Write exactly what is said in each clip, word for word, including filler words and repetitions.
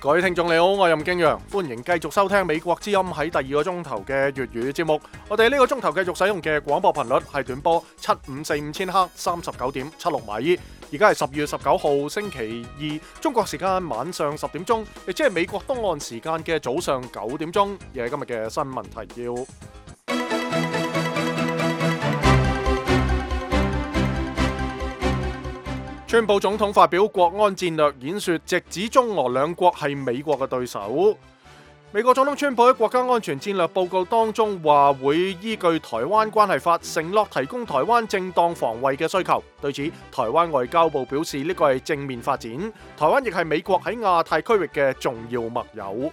各位聽眾你好，我係任敬陽，歡迎繼續收聽美國之音喺第二個鐘頭嘅粵語節目。我哋呢個鐘頭繼續使用嘅廣播頻率係短波七五四五千赫，三十九點七六米。而家係十月十九號星期二，中國時間晚上十點鐘，亦即係美國東岸時間嘅早上九點鐘。而係今日嘅新聞提要。川普總統發表國安戰略演說，直指中俄兩國係美國嘅對手。美國總統川普喺國家安全戰略報告當中話，會依據台灣關係法承諾提供台灣正當防衛嘅需求。對此，台灣外交部表示呢個係正面發展，台灣亦係美國喺亞太區域嘅重要盟友。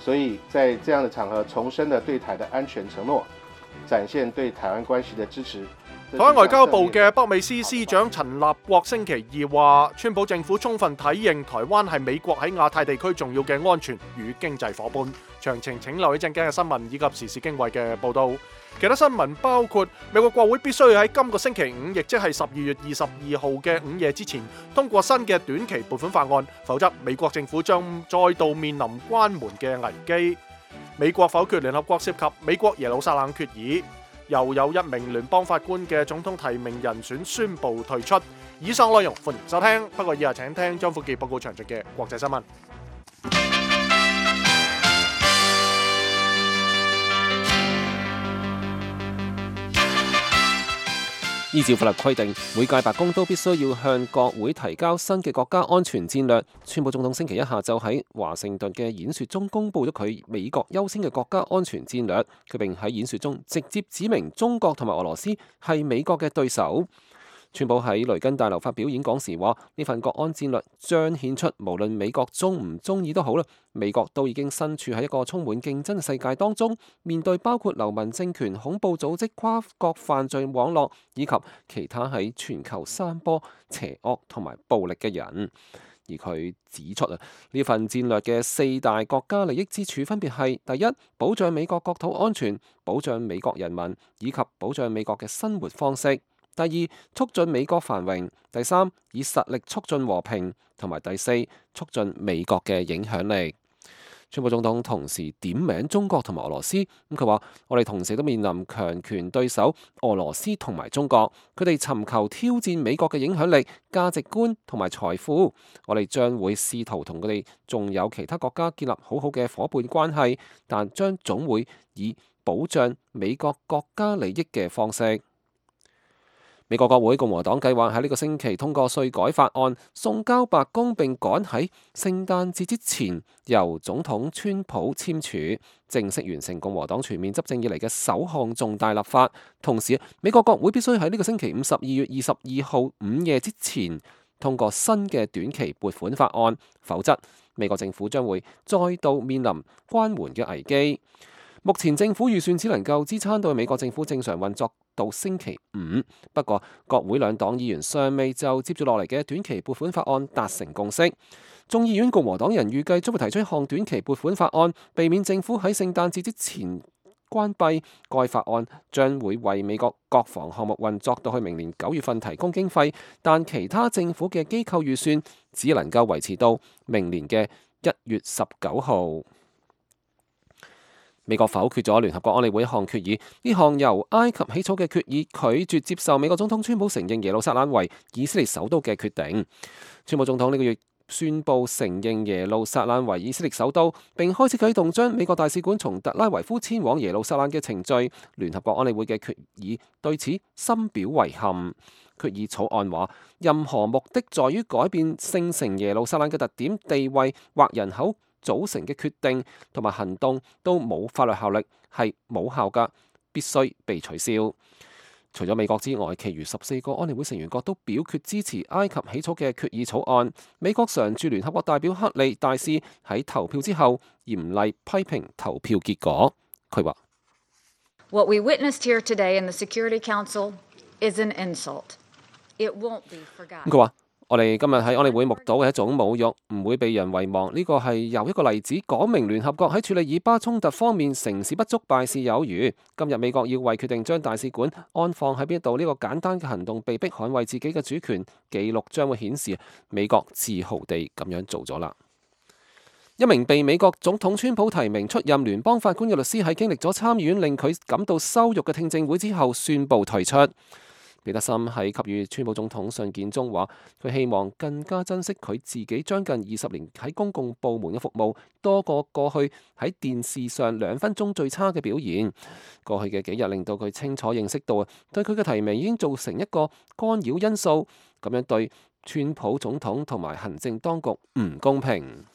所以在這樣的場合重申了對台的安全承諾，展現對台灣關係的支持。台灣外交部嘅北美司司長陳立國星期二話，川普政府充分體認台灣係美國喺亞太地區重要嘅安全與經濟夥伴。詳情請留意陣間嘅新聞以及時事經緯嘅報道。其他新聞包括美國國會必須喺今個星期五，亦即係十二月二十二號嘅午夜之前通過新嘅短期撥款法案，否則美國政府將再度面臨關門嘅危機。美國否決聯合國涉及美國耶路撒冷決議。又有一名聯邦法官嘅總統提名人選宣布退出。以上內容歡迎收聽，不過以下請聽張富傑報告詳盡嘅國際新聞。依照法律規定，每屆白宮都必須要向國會提交新嘅國家安全戰略。川普總統星期一下晝喺華盛頓嘅演說中公布咗佢美國優先嘅國家安全戰略，佢並喺演說中直接指明中國同埋俄羅斯係美國嘅對手。川普喺雷根大樓發表演講時話：呢份國安戰略彰顯出無論美國中唔中意都好啦，美國都已經身處喺一個充滿競爭嘅世界當中，面對包括流氓政權、恐怖組織、跨國犯罪網絡以及其他喺全球散播邪惡同埋暴力嘅人。而佢指出啊，呢份戰略嘅四大國家利益之處分別係：第一，保障美國國土安全，保障美國人民，以及保障美國嘅生活方式。第二，促進美國繁榮；第三，以實力促進和平；同埋第四，促進美國嘅影響力。川普總統同時點名中國同埋俄羅斯，咁佢話：我哋同時都面臨強權對手俄羅斯同埋中國，佢哋尋求挑戰美國嘅影響力、價值觀同埋財富。我哋將會試圖同佢哋仲有其他國家建立好好嘅夥伴關係，但將總會以保障美國國家利益嘅方式。美國國會共和黨計劃喺呢個星期通過稅改法案，送交白宮，並趕喺聖誕節之前由總統川普簽署，正式完成共和黨全面執政以嚟嘅首項重大立法。同時，美國國會必須喺呢個星期五十二月二十二號午夜之前通過新嘅短期撥款法案，否則美國政府將會再度面臨關門嘅危機。目前政府預算只能夠支撐到美國政府正常運作到星期五，不過國會兩黨議員尚未就接住落嚟嘅短期撥款法案達成共識。眾議院共和黨人預計將會提出一項短期撥款法案，避免政府喺聖誕節之前關閉。該法案將會為美國國防項目運作到去明年九月份提供經費，但其他政府嘅機構預算只能夠維持到明年嘅一月十九號。美國否決咗聯合國安理會一項決議，呢項由埃及起草嘅決議拒絕接受美國總統川普承認耶路撒冷為以色列首都嘅決定。川普總統呢個月宣布承認耶路撒冷為以色列首都，並開始啟動將美國大使館從特拉維夫遷往耶路撒冷嘅程序。聯合國安理會嘅決議對此深表遺憾。決議草案話，任何目的在於改變聖城耶路撒冷嘅特點、地位或人口組成嘅決定同埋行動都冇法律效力，係冇效㗎，必須被取消。除咗美國之外，其餘十四個安理會成員國都表決支持埃及起草嘅決議草案。美國常駐聯合國代表克利大使喺投票之後嚴厲批評投票結果。佢話：What we witnessed here today in the Security Council is an insult. It won't be forgotten. 佢話：我哋今日喺安理會目睹嘅一種侮辱，唔會被人遺忘。呢個係又一個例子，講明聯合國喺處理以巴衝突方面成事不足，敗事有餘。今日美國要為決定將大使館安放喺邊度呢個簡單嘅行動，被迫捍衛自己嘅主權。記錄將會顯示美國自豪地咁樣做咗啦。一名被美國總統川普提名出任聯邦法官嘅律師喺經歷咗參議院令佢感到羞辱嘅聽證會之後宣布退出。彼得森喺給予川普總統信件中話，佢希望更加珍惜佢自己將近二十年喺公共部門嘅服務，多過過去喺電視上兩分鐘最差嘅表現。過去嘅幾日令到佢清楚認識到，對佢嘅提名已經造成一個干擾因素，咁樣對川普總統同埋行政當局唔公平。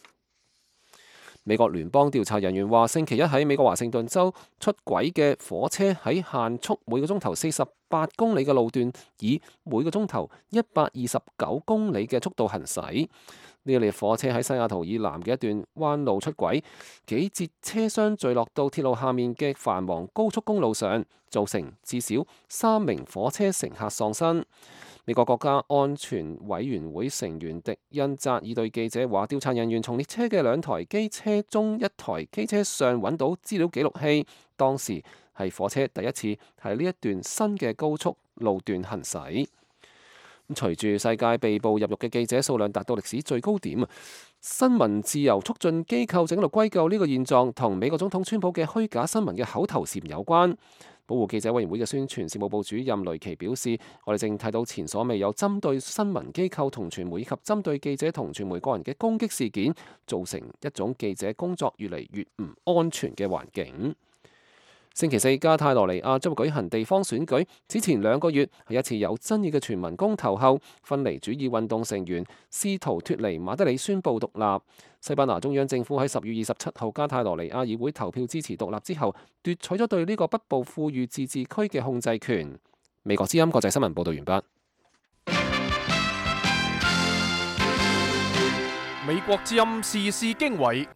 美國聯邦調查人員話，星期一喺美國華盛頓州出軌嘅火車喺限速每個鐘頭四十八公里嘅路段，以每個鐘頭一百二十九公里嘅速度行駛。呢一列火車喺西雅圖以南嘅一段彎路出軌，幾節車廂墜落到鐵路下面嘅繁忙高速公路上，造成至少三名火車乘客喪生。美國國家安全委員會成員迪恩扎爾對記者話，調查人員從列車嘅兩台機車中一台機車上揾到資料記錄器，當時係火車第一次喺呢一段新嘅高速路段行駛。咁隨住世界被捕入獄嘅記者數量達到歷史最高點啊，新聞自由促進機構正喺度歸咎呢個現狀同美國總統川普嘅虛假新聞嘅口頭禪有關。保護記者委員會嘅宣傳事務部主任雷奇表示，我哋正睇到前所未有針對新聞機構同傳媒以及針對記者同傳媒個人嘅攻擊事件，造成一種記者工作越嚟越唔安全嘅環境。星期四，加泰羅尼亞將會舉行地方選舉。之前兩個月喺一次有爭議嘅全民公投後，分離主義運動成員試圖脫離馬德里宣布獨立。西班牙中央政府喺十月二十七號加泰羅尼亞議會投票支持獨立之後，奪取咗對呢個北部富裕自治區嘅控制權。美國之音國際新聞報道完畢。美國之音時事經緯。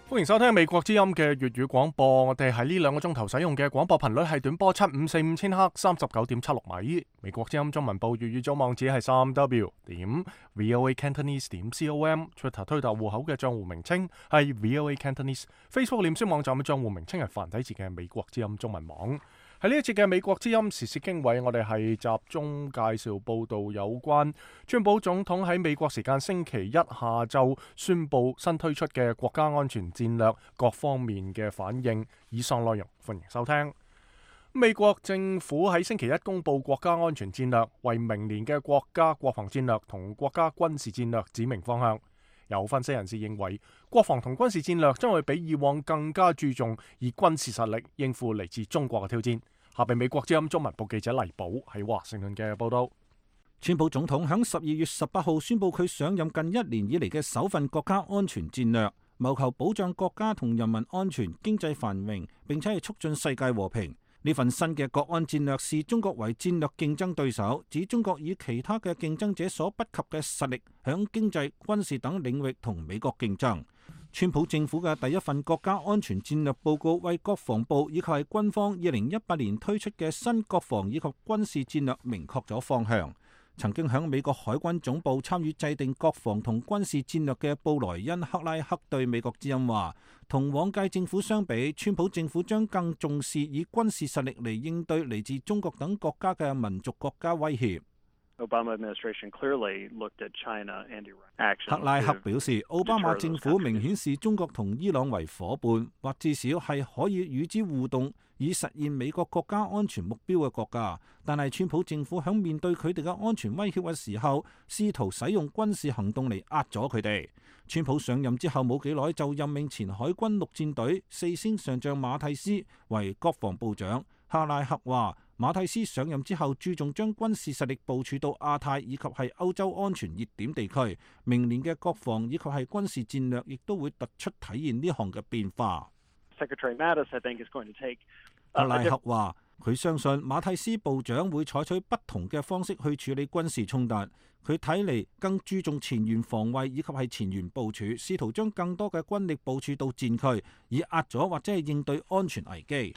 歡迎收聽美國之音嘅粵語廣播。我哋喺呢兩個鐘頭使用嘅廣播頻率係短波七五四五千赫，三十九點七六米。美國之音中文部粵語組網址係三 w 點 voa cantonese 點 com。Twitter 推特戶口嘅賬戶名稱係 voa cantonese。Facebook 臉書網站嘅賬戶名稱係繁體字嘅美國之音中文網。喺呢一節嘅美國之音時事經緯，我哋係集中介紹報道有關川普總統喺美國時間星期一下晝宣布新推出嘅國家安全戰略各方面嘅反應。以上內容歡迎收聽。美國政府喺星期一公布國家安全戰略，為明年嘅國家國防戰略同國家軍事戰略指明方向。有分析人士認為，國防同軍事戰略將會比以往更加注重以軍事實力應付嚟自中國嘅挑戰。下邊美國之音中文部記者黎寶喺華盛頓嘅報道。川普總統喺十二月十八號宣布佢上任近一年以嚟嘅首份國家安全戰略，謀求保障國家同人民安全、經濟繁榮，並且係促進世界和平。呢份新嘅國安戰略視中國為戰略競爭對手，指中國以其他嘅競爭者所不及嘅實力，響經濟、軍事等領域同美國競爭。川普政府嘅第一份國家安全戰略報告，為國防部以及係軍方二零一八年推出嘅新國防以及軍事戰略明確咗方向。曾經響美國海軍總部參與制定國防同軍事戰略嘅布萊恩·克拉克對美國之音話，同往屆政府相比，川普政府將更重視以軍事實力嚟應對嚟自中國等國家嘅民族國家威脅。克拉克表示，奧巴馬政府明顯視中國同伊朗為夥伴，或至少係可以與之互動，以實現美國國家安全目標嘅國家。但係川普政府響面對佢哋嘅安全威脅嘅時候，試圖使用軍事行動嚟壓咗佢哋。川普上任之後冇幾耐就任命前海軍陸戰隊四星上將馬蒂斯為國防部長。克拉克話，馬蒂斯上任之後注重將軍事實力部署到亞太以及係歐洲安全熱點地區，明年嘅國防以及係軍事戰略亦都會突出體現呢項嘅變化。克拉克話，佢相信馬蒂斯部長會採取不同嘅方式去處理軍事衝突，佢睇嚟更注重前沿防衛以及係前沿部署，試圖將更多嘅軍力部署到戰區，以壓咗或者係應對安全危機。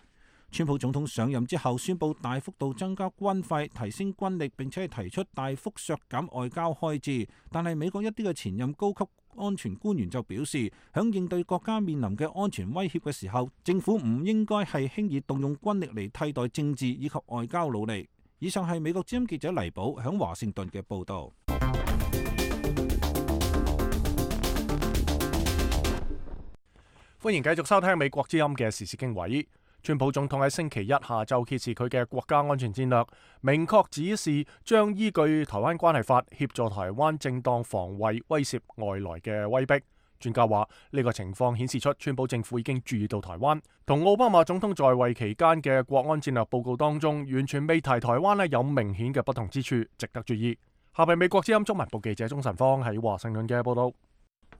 川普總統上任之後宣布大幅度增加軍費，提升軍力，並且係提出大幅削減外交開支。但係美國一啲嘅前任高級安全官員就表示，響應對國家面臨嘅安全威脅嘅時候，政府唔應該係輕易動用軍力嚟替代政治以及外交努力。以上係美國之音記者黎寶響華盛頓嘅報道。歡迎繼續收聽美國之音嘅時事經緯。川普總統喺星期一下晝揭示佢嘅國家安全戰略，明確指示將依據《台灣關係法》協助台灣正當防衛，威懾外來嘅威逼。專家話呢個情況顯示出川普政府已經注意到台灣，同奧巴馬總統在位期間嘅國安戰略報告當中完全未提台灣咧，有明顯嘅不同之處，值得注意。下邊美國之音中文部記者鍾晨芳喺華盛頓嘅報道。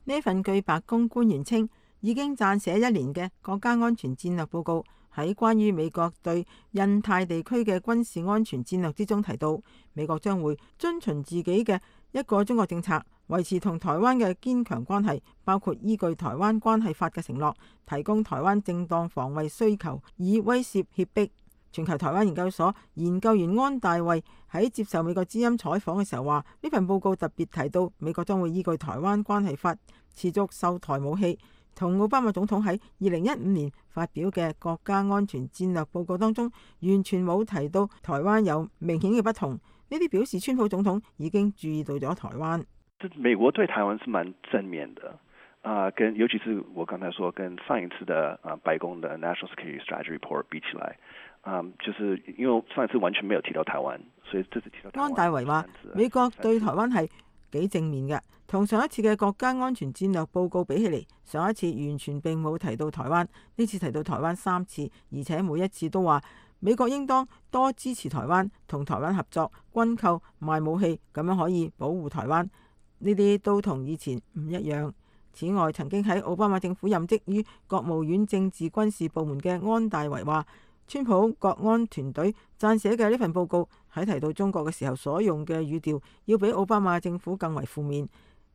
呢份據白宮官員稱已經撰寫一年嘅國家安全戰略報告，喺關於美國對印太地區嘅軍事安全戰略之中提到，美國將會遵循自己嘅一個中國政策，維持同台灣嘅堅強關係，包括依據《台灣關係法》嘅承諾，提供台灣正當防衛需求，以威懾脅迫。全球台灣研究所研究員安大衛喺接受美國之音採訪嘅時候話，呢份報告特別提到美國將會依據《台灣關係法》持續售台武器，同奧巴馬總統喺二零一五年發表嘅國家安全戰略報告當中完全冇提到台灣有明顯嘅不同。呢啲表示川普總統已經注意到咗台灣。美國對台灣是蠻正面的，啊、呃，跟尤其是我剛才說跟上一次的啊、呃、白宮的 National Security Strategy Report 比起來。嗯，就是因為上一次完全沒有提到台灣，所以這次提到台灣。安大維話：美國對台灣係幾正面嘅，同上一次嘅國家安全戰略報告比起嚟，上一次完全並冇提到台灣，呢次提到台灣三次，而且每一次都話美國應當多支持台灣，同台灣合作、軍購、賣武器，咁樣可以保護台灣。呢啲都同以前唔一樣。此外，曾經喺奧巴馬政府任職於國務院政治軍事部門嘅安大維話，川普國安團隊撰寫嘅呢份報告喺提到中國嘅時候所用嘅語調，要比奧巴馬政府更為負面。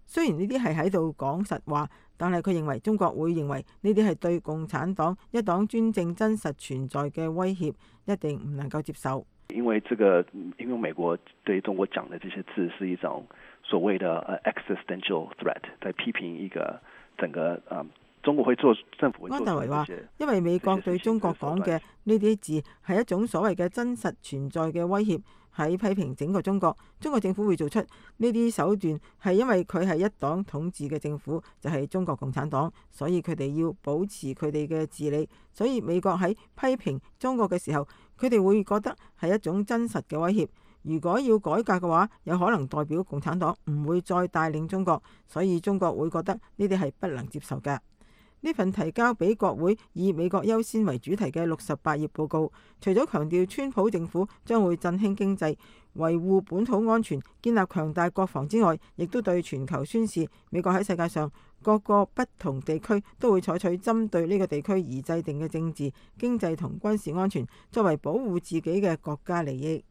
雖然呢啲係喺度講實話，但係佢認為中國會認為呢啲係對共產黨一黨專政真實存在嘅威脅，一定唔能夠接受。因為這個，因為美國對中國講的這些字是一種所謂的 existential threat，在批評一個整個啊。中國會做政府會做。安大維話，因為美國對中國講嘅呢啲字係一種所謂嘅真實存在嘅威脅，喺批評整個中國。中國政府會做出呢啲手段，係因為佢係一黨統治嘅政府，就係中國共產黨，所以佢哋要保持佢哋嘅治理。所以美國喺批評中國嘅時候，佢哋會覺得係一種真實嘅威脅。如果要改革嘅話，有可能代表共產黨唔會再帶領中國，所以中國會覺得呢啲係不能接受嘅。呢份提交俾國會以美國優先為主題嘅六十八頁報告，除咗強調川普政府將會振興經濟、維護本土安全、建立強大國防之外，亦都對全球宣示美國喺世界上各個不同地區都會採取針對呢個地區而制定嘅政治、經濟同軍事安全，作為保護自己嘅國家利益。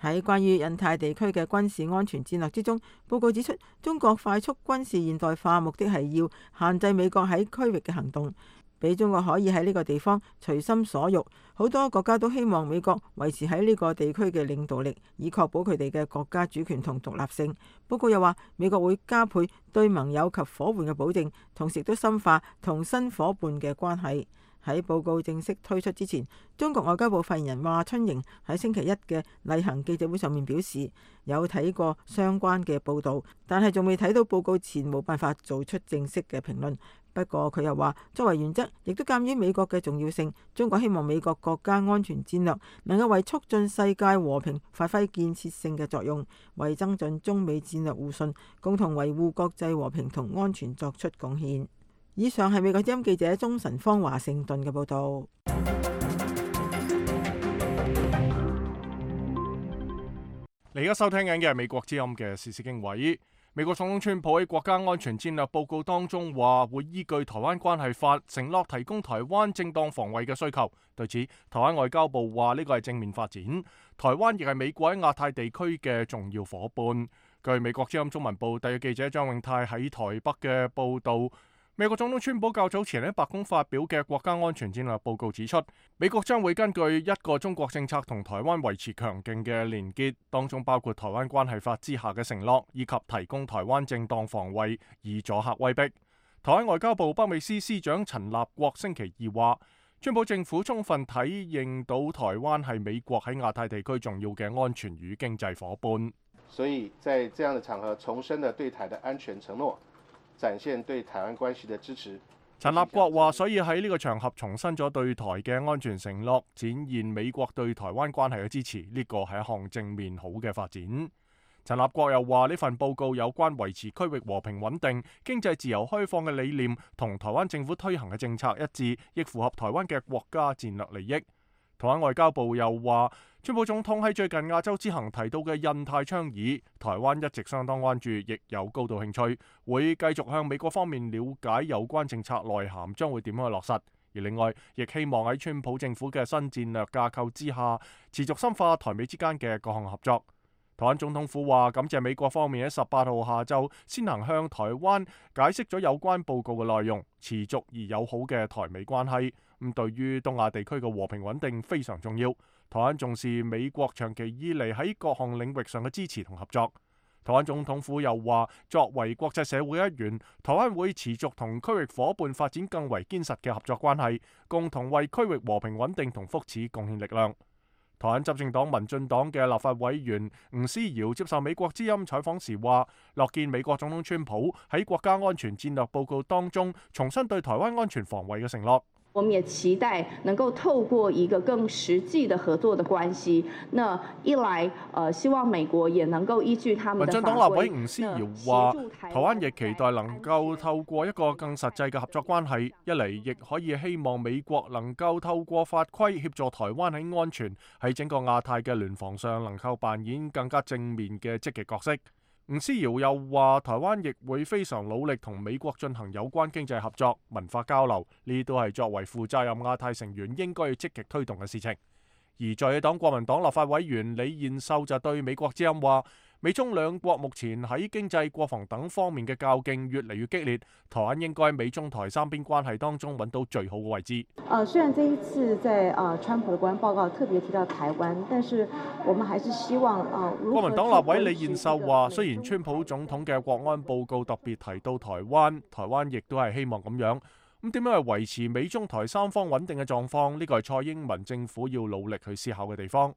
喺關於印太地區嘅軍事安全戰略之中，報告指出，中國快速軍事現代化目的係要限制美國喺區域嘅行動，俾中國可以喺呢個地方隨心所欲。好多國家都希望美國維持喺呢個地區嘅領導力，以確保佢哋嘅國家主權同獨立性。報告又話，美國會加倍對盟友及伙伴嘅保證，同時都深化同新伙伴嘅關係。喺報告正式推出之前，中國外交部發言人華春瑩喺星期一嘅例行記者會上面表示，有睇過相關嘅報導，但係仲未睇到報告前冇辦法做出正式嘅評論。不過佢又話，作為原則，亦都鑑於美國嘅重要性，中國希望美國國家安全戰略能夠為促進世界和平發揮建設性嘅作用，為增進中美戰略互信、共同維護國際和平同安全作出貢獻。以上係美國之音記者鍾晨芳華盛頓嘅報道。你而家收聽緊嘅係美國之音嘅時事經緯。美國總統川普喺國家安全戰略報告當中話，會依據台灣關係法承諾提供台灣正當防衛嘅需求。對此，台灣外交部話呢個係正面發展。台灣亦係美國喺亞太地區嘅重要夥伴。據美國之音中文部特約記者張永泰喺台北嘅報道，美國總統川普較早前喺白宮發表嘅國家安全戰略報告指出，美國將會根據一個中國政策同台灣維持強勁嘅連結，當中包括台灣關係法之下嘅承諾，以及提供台灣正當防衛以阻嚇威逼。台灣外交部北美司司長陳立國星期二話，川普政府充分體認到台灣係美國喺亞太地區重要嘅安全與經濟夥伴，所以在這樣的場合重申了對台的安全承諾，展現對台灣關係的支持，陳立國話，所以喺呢個場合重申咗對台嘅安全承諾，展現美國對台灣關係嘅支持，呢個係一項正面好嘅發展。陳立國又話，呢份報告有關維持區域和平穩定、經濟自由開放嘅理念，同台灣政府推行嘅政策一致，亦符合台灣嘅國家戰略利益。台灣外交部又話，川普總統喺最近亞洲之行提到嘅印太倡議，台灣一直相當關注，亦有高度興趣，會繼續向美國方面了解有關政策內涵將會點樣去落實。而另外，亦希望喺川普政府嘅新戰略架構之下，持續深化台美之間嘅各項合作。台灣總統府話，感謝美國方面喺十八號下晝先行向台灣解釋咗有關報告嘅內容，持續而友好嘅台美關係。咁對於東亞地區嘅和平穩定非常重要。台灣重視美國長期以嚟喺各項領域上嘅支持同合作。台灣總統府又話，作為國際社會一員，台灣會持續同區域夥伴發展更為堅實嘅合作關係，共同為區域和平穩定同福祉貢獻力量。台灣執政黨民進黨嘅立法委員吳思瑤接受美國之音採訪時話，樂見美國總統川普喺國家安全戰略報告當中重申對台灣安全防衛嘅承諾。我們也期待能夠透過一個更實際的合作的關係，那一來，呃，希望美國也能夠依據他們的法規。民進黨立委吳思瑤話，台灣亦期待能夠透過一個更實際嘅合作關係，一嚟亦可以希望美國能夠透過法規協助台灣喺安全喺整個亞太嘅聯防上能夠扮演更加正面嘅積極角色。吳思瑤又話，台灣亦會非常努力同美國進行有關經濟合作、文化交流，呢都係作為負責任亞太成員應該要積極推動嘅事情。而在野黨國民黨立法委員李彥秀就對美國之音話，美中兩國目前喺經濟、國防等方面嘅較勁越嚟越激烈，台灣應該美中台三邊關係當中揾到最好嘅位置。呃，雖然這一次在呃川普的國安報告特別提到台灣，但是我們還是希望呃。國民黨立委李彥秀話，雖然川普總統嘅國安報告特別提到台灣，台灣亦都係希望咁樣。咁點樣去維持美中台三方穩定嘅狀況？呢個係蔡英文政府要努力去思考嘅地方。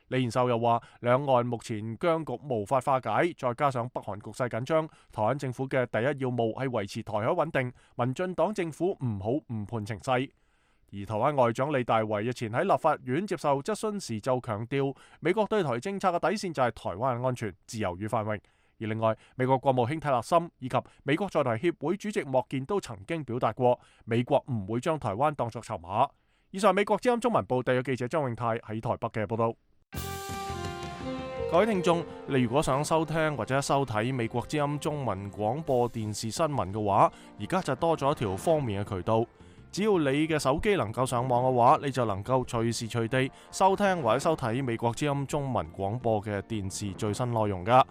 李彥秀又話，兩岸目前僵局無法化解，再加上北韓局勢緊張，台灣政府嘅第一要務係維持台海穩定。民進黨政府唔好誤判情勢。而台灣外長李大維日前喺立法院接受質詢時就強調，美國對台政策嘅底線就係台灣嘅安全、自由與繁榮。而另外，美國國務卿泰勒森以及美國在台協會主席莫健都曾經表達過，美國唔會將台灣當作籌碼。以上美國之音中文部特約記者張永泰喺台北嘅報道。各位聽眾，你如果想收聽或者收睇美國之音中文廣播電視新聞嘅話，而家就多咗一條方便嘅渠道。只要你嘅手機能夠上網嘅話，你就能夠隨時隨地收聽或者收睇美國之音中文廣播嘅電視最新內容噶。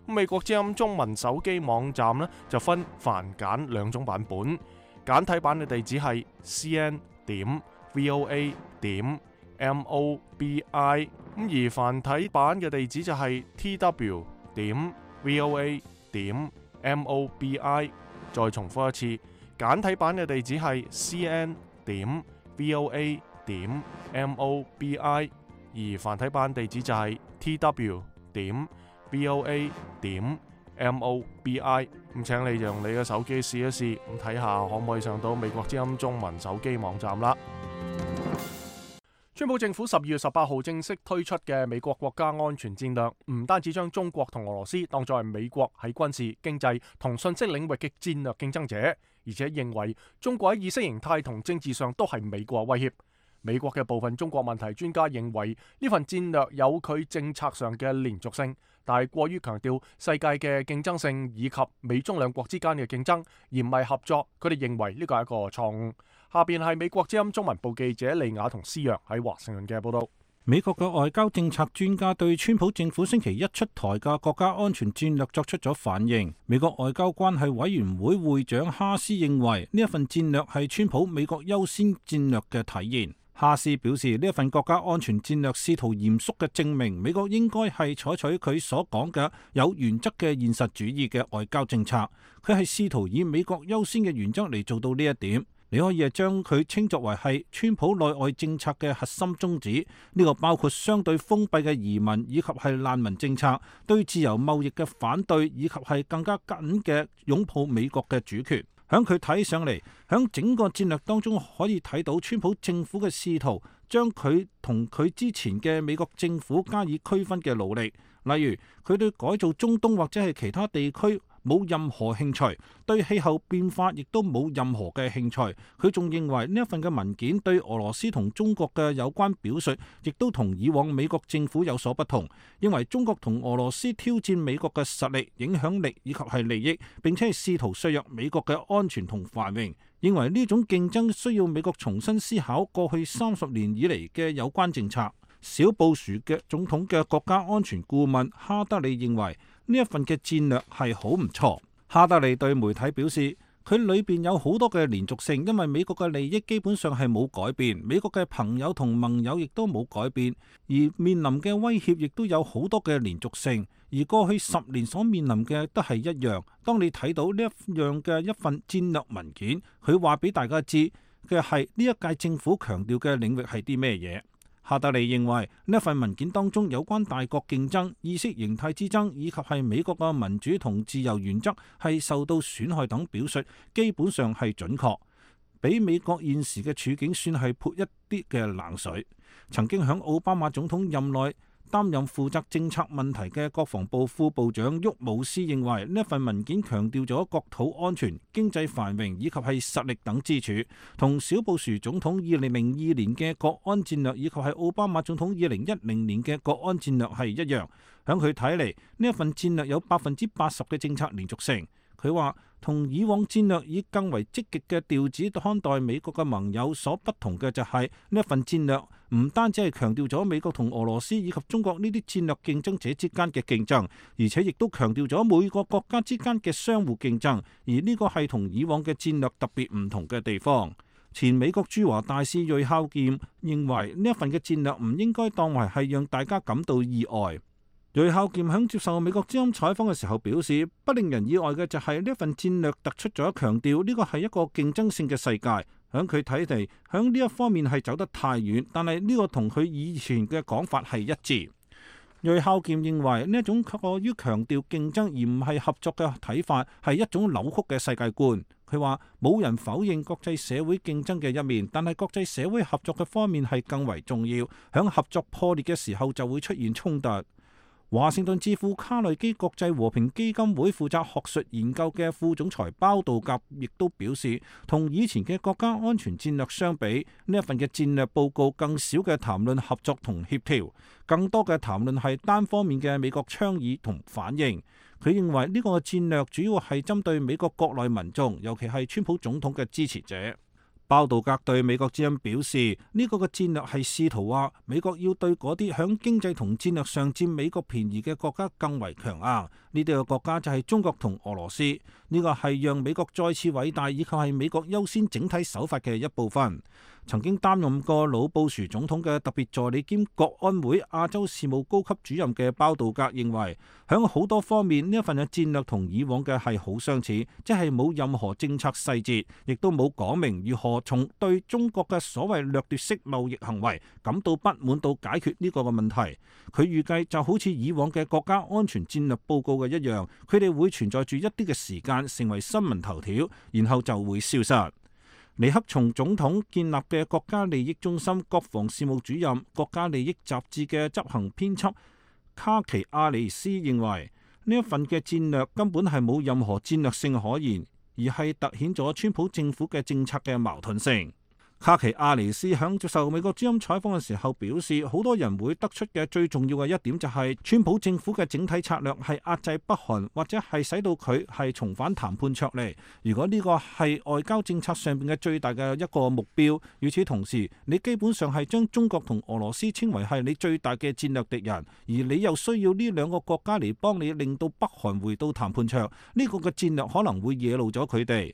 美國之音中文手機網站呢，就分繁簡兩種版本，簡體版嘅地址係 c n 點 v o a 點 m o b i， 咁而繁體版嘅地址就係 t w 點 v o a 點 m o b i。再重複一次，簡體版嘅地址係 c n 點 v o a 點 m o b i， 而繁體版地址就係 t w 點V O A 點 M O B I， 咁請你用你嘅手機試一試，咁睇下可唔可以上到美國之音中文手機網站啦。川普政府十二月十八號正式推出嘅美國國家安全戰略，唔單止將中國同俄羅斯當作係美國喺軍事、經濟同信息領域嘅戰略競爭者，而且認為中國喺意識形態同政治上都係美國威脅。美國嘅部分中國問題專家認為呢份戰略有佢政策上嘅連續性，但係過於強調世界嘅競爭性以及美中兩國之間嘅競爭，而唔係合作。佢哋認為呢個係一個錯誤。下邊係美國之音中文部記者利雅同施洋喺華盛頓嘅報道。美國嘅外交政策專家對川普政府星期一出台嘅國家安全戰略作出咗反應。美國外交關係委員會會長哈斯認為呢一份戰略係川普美國優先戰略嘅體現。哈斯表示，呢一份國家安全戰略試圖嚴肅嘅證明美國應該係採取佢所講嘅有原則嘅現實主義嘅外交政策。佢係試圖以美國優先嘅原則嚟做到呢一點。你可以係將佢稱作為係川普內外政策嘅核心宗旨。呢個包括相對封閉嘅移民以及係難民政策，對自由貿易嘅反對，以及係更加緊嘅擁抱美國嘅主權。響佢睇上嚟，響整個戰略當中可以睇到川普政府嘅試圖將佢同佢之前嘅美國政府加以區分嘅努力，例如佢對改造中東或者係其他地區冇任何興趣，對氣候變化亦都冇任何嘅興趣。佢仲認為呢一份嘅文件對俄羅斯同中國嘅有關表述，亦都同以往美國政府有所不同。認為中國同俄羅斯挑戰美國嘅實力、影響力以及係利益，並且係試圖削弱美國嘅安全同繁榮。認為呢種競爭需要美國重新思考過去三十年以嚟嘅有關政策。小布殊嘅總統嘅國家安全顧問哈德利認為呢一份嘅戰略係好唔錯。哈德利對媒體表示，佢裏邊有好多嘅連續性，因為美國嘅利益基本上係冇改變，美國嘅朋友同盟友亦都冇改變，而面臨嘅威脅亦都有好多嘅連續性，而過去十年所面臨嘅都係一樣。當你睇到呢一樣嘅一份戰略文件，佢話俾大家知嘅係呢一屆政府強調嘅領域係啲咩嘢。哈德利認為呢份文件當中有關大國競爭、意識形態之爭以及係美國嘅民主同自由原則係受到損害等表述，基本上係準確，比美國現時嘅處境算係潑一啲嘅冷水。曾經響奧巴馬總統任內擔任負責政策問題嘅國防部副部長沃姆斯認為呢份文件強調咗國土安全、經濟繁榮以及係實力等支柱，同小布殊總統二零零二年嘅國安戰略以及係奧巴馬總統二零一零年嘅國安戰略係一樣。響佢睇嚟，呢一份戰略有百分之八十嘅政策連續性。佢話同以往戰略以更為積極嘅調子看待美國嘅盟友所不同嘅就係呢一份戰略唔單止係強調咗美國同俄羅斯以及中國呢啲戰略競爭者之間嘅競爭，而且亦都強調咗每個國家之間嘅相互競爭，而呢個係同以往嘅戰略特別唔同嘅地方。前美國駐華大使瑞孝劍認為呢一份嘅戰略唔應該當為係讓大家感到意外。瑞孝劍喺接受美國之音採訪嘅時候表示，不令人意外嘅就係呢份戰略突出咗強調呢個係一個競爭性嘅世界。喺佢睇嚟，喺呢一方面係走得太遠，但係呢個同佢以前嘅講法係一致。瑞孝劍認為呢一種過於強調競爭而唔係合作嘅睇法係一種扭曲嘅世界觀。佢話冇人否認國際社會競爭嘅一面，但係國際社會合作嘅方面係更為重要。喺合作破裂嘅時候就會出現衝突。華盛頓智庫卡內基國際和平基金會負責學術研究嘅副總裁包道格亦都表示，同以前嘅國家安全戰略相比，呢一份嘅戰略報告更少嘅談論合作同協調，更多嘅談論係單方面嘅美國倡議同反應。佢認為呢個戰略主要係針對美國國內民眾，尤其係川普總統嘅支持者。包道格對美國之音表示，呢個嘅戰略係試圖話美國要對嗰啲響經濟同戰略上佔美國便宜嘅國家更為強硬。呢啲嘅國家就係中國同俄羅斯。呢個係讓美國再次偉大，以及係美國優先整體手法嘅一部分。曾經擔任過老布殊總統嘅特別助理兼國安會亞洲事務高級主任嘅包道格認為，響好多方面呢一份嘅戰略同以往嘅係好相似，即係冇任何政策細節，亦都冇講明如何從對中國嘅所謂掠奪式貿易行為感到不滿到解決呢個嘅問題。佢預計就好似以往嘅國家安全戰略報告嘅一樣，佢哋會存在住一啲嘅時間成為新聞頭條，然後就會消失。尼克松總統建立嘅國家利益中心國防事務主任、國家利益雜誌嘅執行編輯卡奇亞尼斯認為，呢一份嘅戰略根本係冇任何戰略性可言，而係突顯咗川普政府嘅政策嘅矛盾性。卡奇亞尼斯響接受美國之音採訪嘅時候表示，好多人會得出嘅最重要嘅一點就係川普政府嘅整體策略係壓制北韓，或者係使到佢係重返談判桌嚟。如果呢個係外交政策上邊嘅最大嘅一個目標，與此同時，你基本上係將中國同俄羅斯稱為係你最大嘅戰略敵人，而你又需要呢兩個國家嚟幫你令到北韓回到談判桌，呢個嘅戰略可能會惹怒咗佢哋。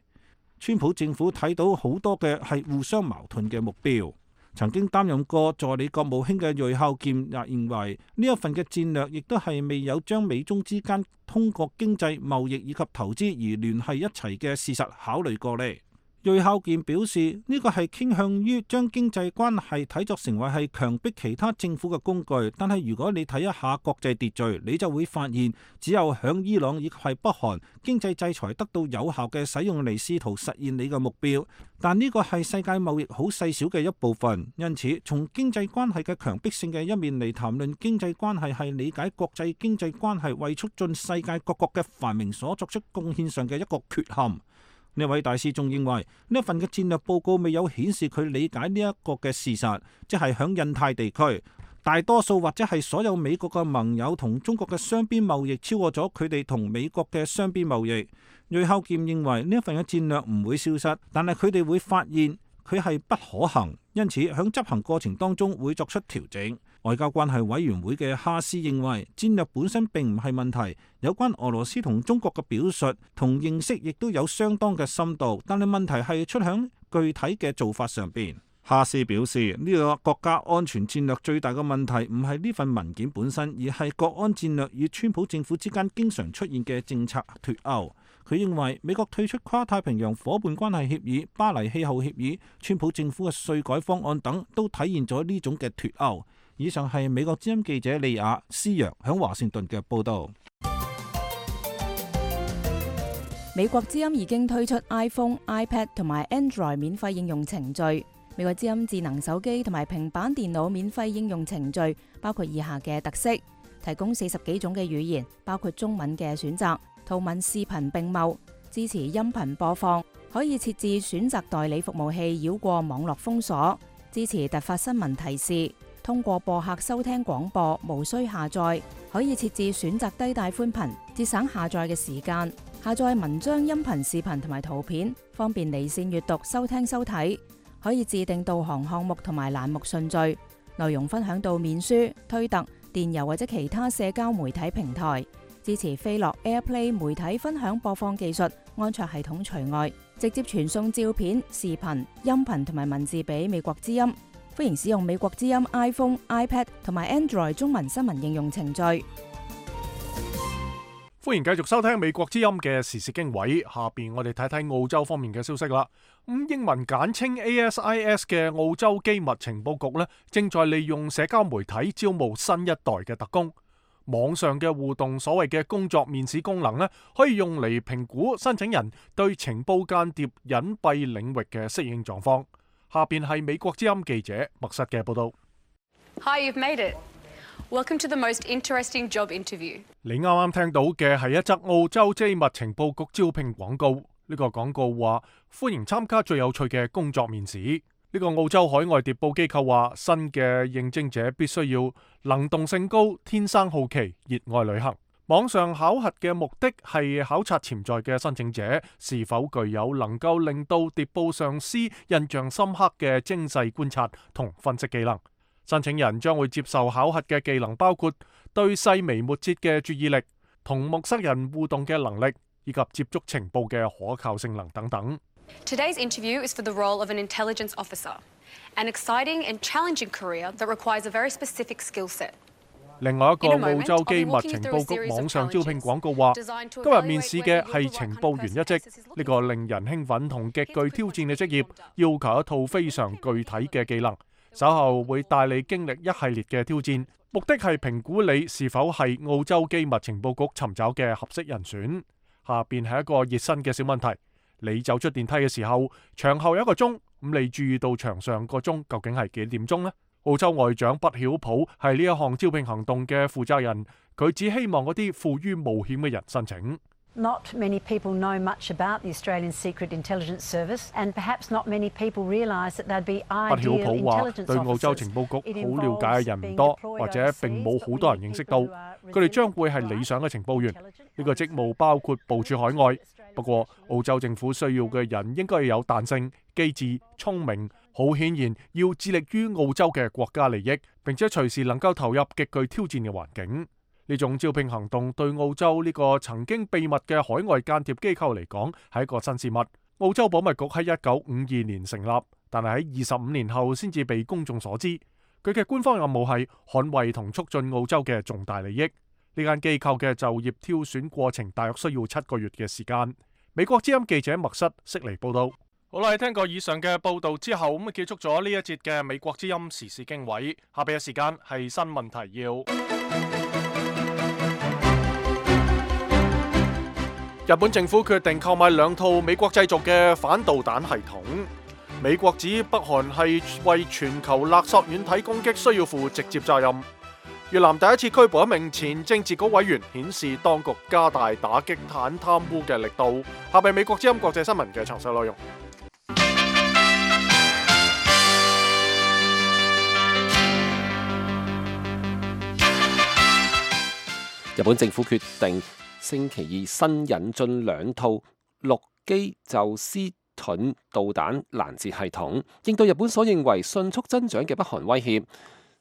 川普政府睇到好多嘅係互相矛盾嘅目標。曾經擔任過助理國務卿嘅瑞孝劍也認為，呢一份嘅戰略亦都係未有將美中之間通過經濟、貿易以及投資而聯繫一齊嘅事實考慮過嚟。銳孝健表示，呢個係傾向於將經濟關係睇作成為係強迫其他政府嘅工具，但係如果你睇一下國際秩序，你就會發現，只有響伊朗以及係北韓，經濟制裁得到有效嘅使用嚟試圖實現你嘅目標，但呢個係世界貿易好細小嘅一部分。因此，從經濟關係嘅強迫性嘅一面嚟談論經濟關係，係理解國際經濟關係為促進世界各國嘅繁榮所作出貢獻上嘅一個缺陷。呢位大使仲認為，呢一份嘅戰略報告未有顯示佢理解呢一個嘅事實，即係響印太地區，大多數或者係所有美國嘅盟友同中國嘅雙邊貿易超過咗佢哋同美國嘅雙邊貿易。銳孝健認為呢一份嘅戰略唔會消失，但係佢哋會發現佢係不可行，因此響執行過程當中會作出調整。外交關係委員會嘅哈斯認為，戰略本身並唔係問題，有關俄羅斯同中國嘅表述同認識亦都有相當嘅深度，但係問題係出響具體嘅做法上邊。哈斯表示，呢個國家安全戰略最大嘅問題唔係呢份文件本身，而係國安戰略與川普政府之間經常出現嘅政策脫鈎。佢認為美國退出跨太平洋夥伴關係協議、巴黎氣候協議、川普政府嘅稅改方案等，都體現咗呢種嘅脫鈎。以上係美國之音記者利亞斯揚響華盛頓嘅報道。美國之音已經推出 iPhone、iPad 同埋 Android 免費應用程序。美國之音智能手機同埋平板電腦免費應用程序包括以下嘅特色：提供四十幾種嘅語言，包括中文嘅選擇，圖文視頻並茂，支持音頻播放，可以設置選擇代理服務器繞過網絡封鎖，支持突發新聞提示。通過播客收聽廣播，無需下載，可以設置選擇低帶寬頻，節省下載嘅時間。下載文章、音頻、視頻同埋圖片，方便離線閱讀、收聽收睇。可以自定導航項目同埋欄目順序，內容分享到面書、推特、電郵或者其他社交媒體平台。支持飛樂 AirPlay 媒體分享播放技術，安卓系統除外，直接傳送照片、視頻、音頻同埋文字俾美國之音。歡迎使用美國之音 iPhone、iPad 同埋 Android 中文新聞應用程序。歡迎繼續收聽美國之音嘅時事經緯。下邊我哋睇睇澳洲方面嘅消息啦。咁英文簡稱 A S I S 嘅澳洲機密情報局呢，正在利用社交媒體招募新一代嘅特工。網上嘅互動所謂嘅工作面試功能呢，可以用嚟評估申請人對情報間諜隱蔽領域嘅適應狀況。下邊係美國之音記者麥實嘅報道。Hi, you've made it. Welcome to the most interesting job interview. 你啱啱聽到嘅係一則澳洲機密情報局招聘廣告。呢個廣告話歡迎參加最有趣嘅工作面試。呢個澳洲海外諜報機構話，新嘅應徵者必須要能動性高、天生好奇、熱愛旅行。網上考核嘅目的係考察潛在嘅申請者是否具有能夠令到諜報上司印象深刻嘅精細觀察同分析技能。申請人將會接受考核嘅技能包括對細微末節嘅注意力、同陌生人互動嘅能力，以及接觸情報嘅可靠性能等等。Today's interview is for the role of an intelligence officer, an exciting and challenging career that requires a very specific skill set. 另外一個澳洲機密情報局網上招聘廣告話，今日面試嘅係情報員一職，呢個令人興奮同極具挑戰嘅職業，要求一套非常具體嘅技能。稍後會帶你經歷一系列嘅挑戰，目的係評估你是否係澳洲機密情報局尋找嘅合適人選。下邊係一個熱身嘅小問題：你走出電梯嘅時候，牆後有一個鐘，咁你注意到牆上個鐘究竟係幾點鐘呢？澳洲外長畢曉普係呢一項招聘行動嘅負責人，佢只希望嗰啲富於冒險嘅人申請。Not many people know much about the Australian Secret Intelligence Service, and perhaps not many people realise that they'd be ideal intelligence officers. 對澳洲情報局好了解嘅人唔多，或者並冇好多人認識到，佢哋將會係理想嘅情報員。呢個職務包括部署海外，不過澳洲政府需要嘅人應該要有彈性、機智、聰明。好顯然要致力於澳洲嘅國家利益，並且隨時能夠投入極具挑戰嘅環境。呢種招聘行動對澳洲呢個曾經秘密嘅海外間諜機構嚟講係一個新事物。澳洲保密局喺一九五二年成立，但係喺二十五年後先至被公眾所知。佢嘅官方任務係捍衛同促進澳洲嘅重大利益。呢間機構嘅就業挑選過程大約需要七個月嘅時間。美國之音記者麥瑟悉尼報道。好啦，聽過以上嘅報導之後，咁啊結束咗呢一節嘅美國之音時事經緯。下邊嘅時間係新聞提要。日本政府決定購買兩套美國製造嘅反導彈系統。美國指北韓係為全球勒索軟體攻擊需要負直接責任。越南第一次拘捕一名前政治局委員，顯示當局加大打擊反貪污嘅力度。下邊美國之音國際新聞嘅詳細內容。日本政府決定星期二新引進兩套陸基宙斯盾導彈攔截系統，應對日本所認為迅速增長嘅北韓威脅。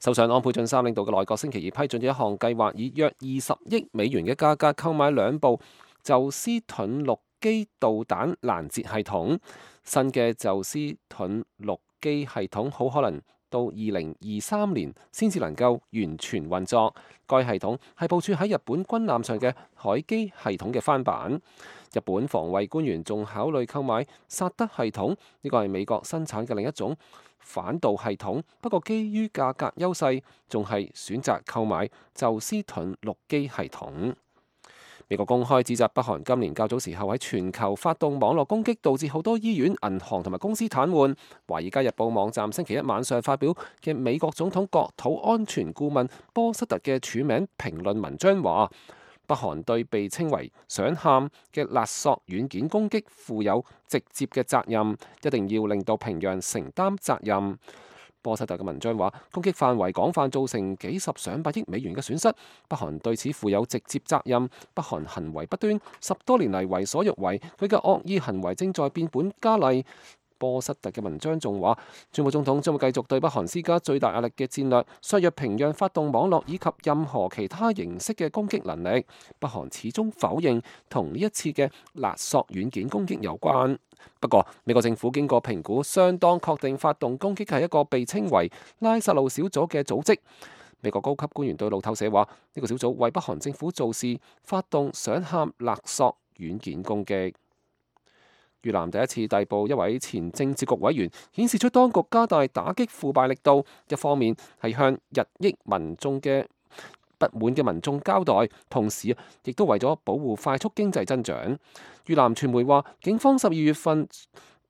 首相安倍晉三領導嘅內閣星期二批准咗一項計劃，以約二十億美元嘅價格購買兩部宙斯盾陸基導彈攔截系統。新嘅宙斯盾陸基系統好可能到二零二三年先至能夠完全運作。該系統係部署喺日本軍艦上嘅海基系統嘅翻版。日本防衛官員仲考慮購買薩德系統，呢個係美國生產嘅另一種反導系統。不過基於價格優勢，仲係選擇購買宙斯盾陸基系統。美國公開指責北韓今年較早時候喺全球發動網絡攻擊，導致好多醫院、銀行同埋公司癱瘓。華爾街日報網站星期一晚上發表嘅美國總統國土安全顧問波瑟特嘅署名評論文章話，北韓對被稱為想喊嘅勒索軟件攻擊負有直接嘅責任，一定要令到平壤承擔責任。波瑟特嘅文章話，攻擊範圍廣泛，造成幾十上百億美元嘅損失，北韓對此負有直接責任。北韓行為不端，十多年嚟為所欲為，佢嘅惡意行為正在變本加厲。波瑟特嘅文章仲話，川普總統將會繼續對北韓施加最大壓力嘅戰略，削弱平壤發動網絡以及任何其他形式嘅攻擊能力。北韓始終否認同呢一次嘅勒索軟件攻擊有關。不過，美國政府經過評估，相當確定發動攻擊係一個被稱為拉薩路小組嘅組織。美國高級官員對路透社話，呢個小組為北韓政府做事，發動想喊勒索軟件攻擊。越南第一次逮捕一位前政治局委員，顯示出當局加大打擊腐敗力度。一方面係向日益民眾嘅不滿嘅民眾交代，同時亦都為咗保護快速經濟增長。越南傳媒話，警方十二月份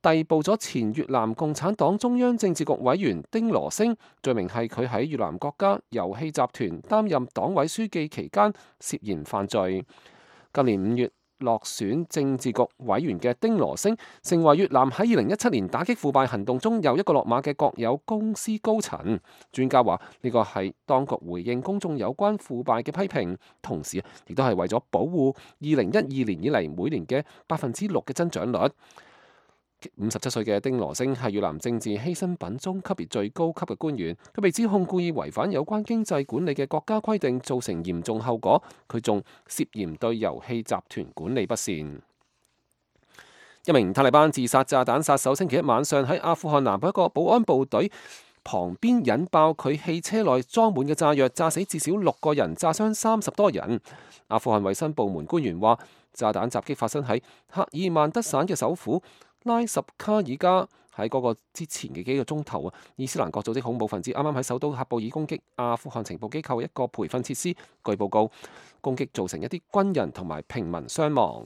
逮捕咗前越南共產黨中央政治局委員丁羅星，罪名係佢喺越南國家油氣集團擔任黨委書記期間涉嫌犯罪。今年五月落選政治局委員嘅丁羅星，成為越南喺二零一七年打擊腐敗行動中又一個落馬嘅國有公司高層。專家話呢個係當局回應公眾有關腐敗嘅批評，同時亦都係為咗保護二零一二年以嚟每年嘅百分之六嘅增長率。五十七歲嘅丁羅星係越南政治犧牲品中級別最高級嘅官員，佢被指控故意違反有關經濟管理嘅國家規定，造成嚴重後果。佢仲涉嫌對油氣集團管理不善。一名塔利班自殺炸彈殺手星期一晚上喺阿富汗南部一個保安部隊旁邊引爆佢汽車內裝滿嘅炸藥，炸死至少六個人，炸傷三十多人。阿富汗衛生部門官員話，炸彈襲擊發生喺赫爾曼德省嘅首府拉什卡爾加。喺嗰個之前嘅幾個鐘頭啊，伊斯蘭國組織恐怖分子啱啱喺首都喀布爾攻擊阿富汗情報機構一個培訓設施。據報告，攻擊造成一啲軍人同埋平民傷亡。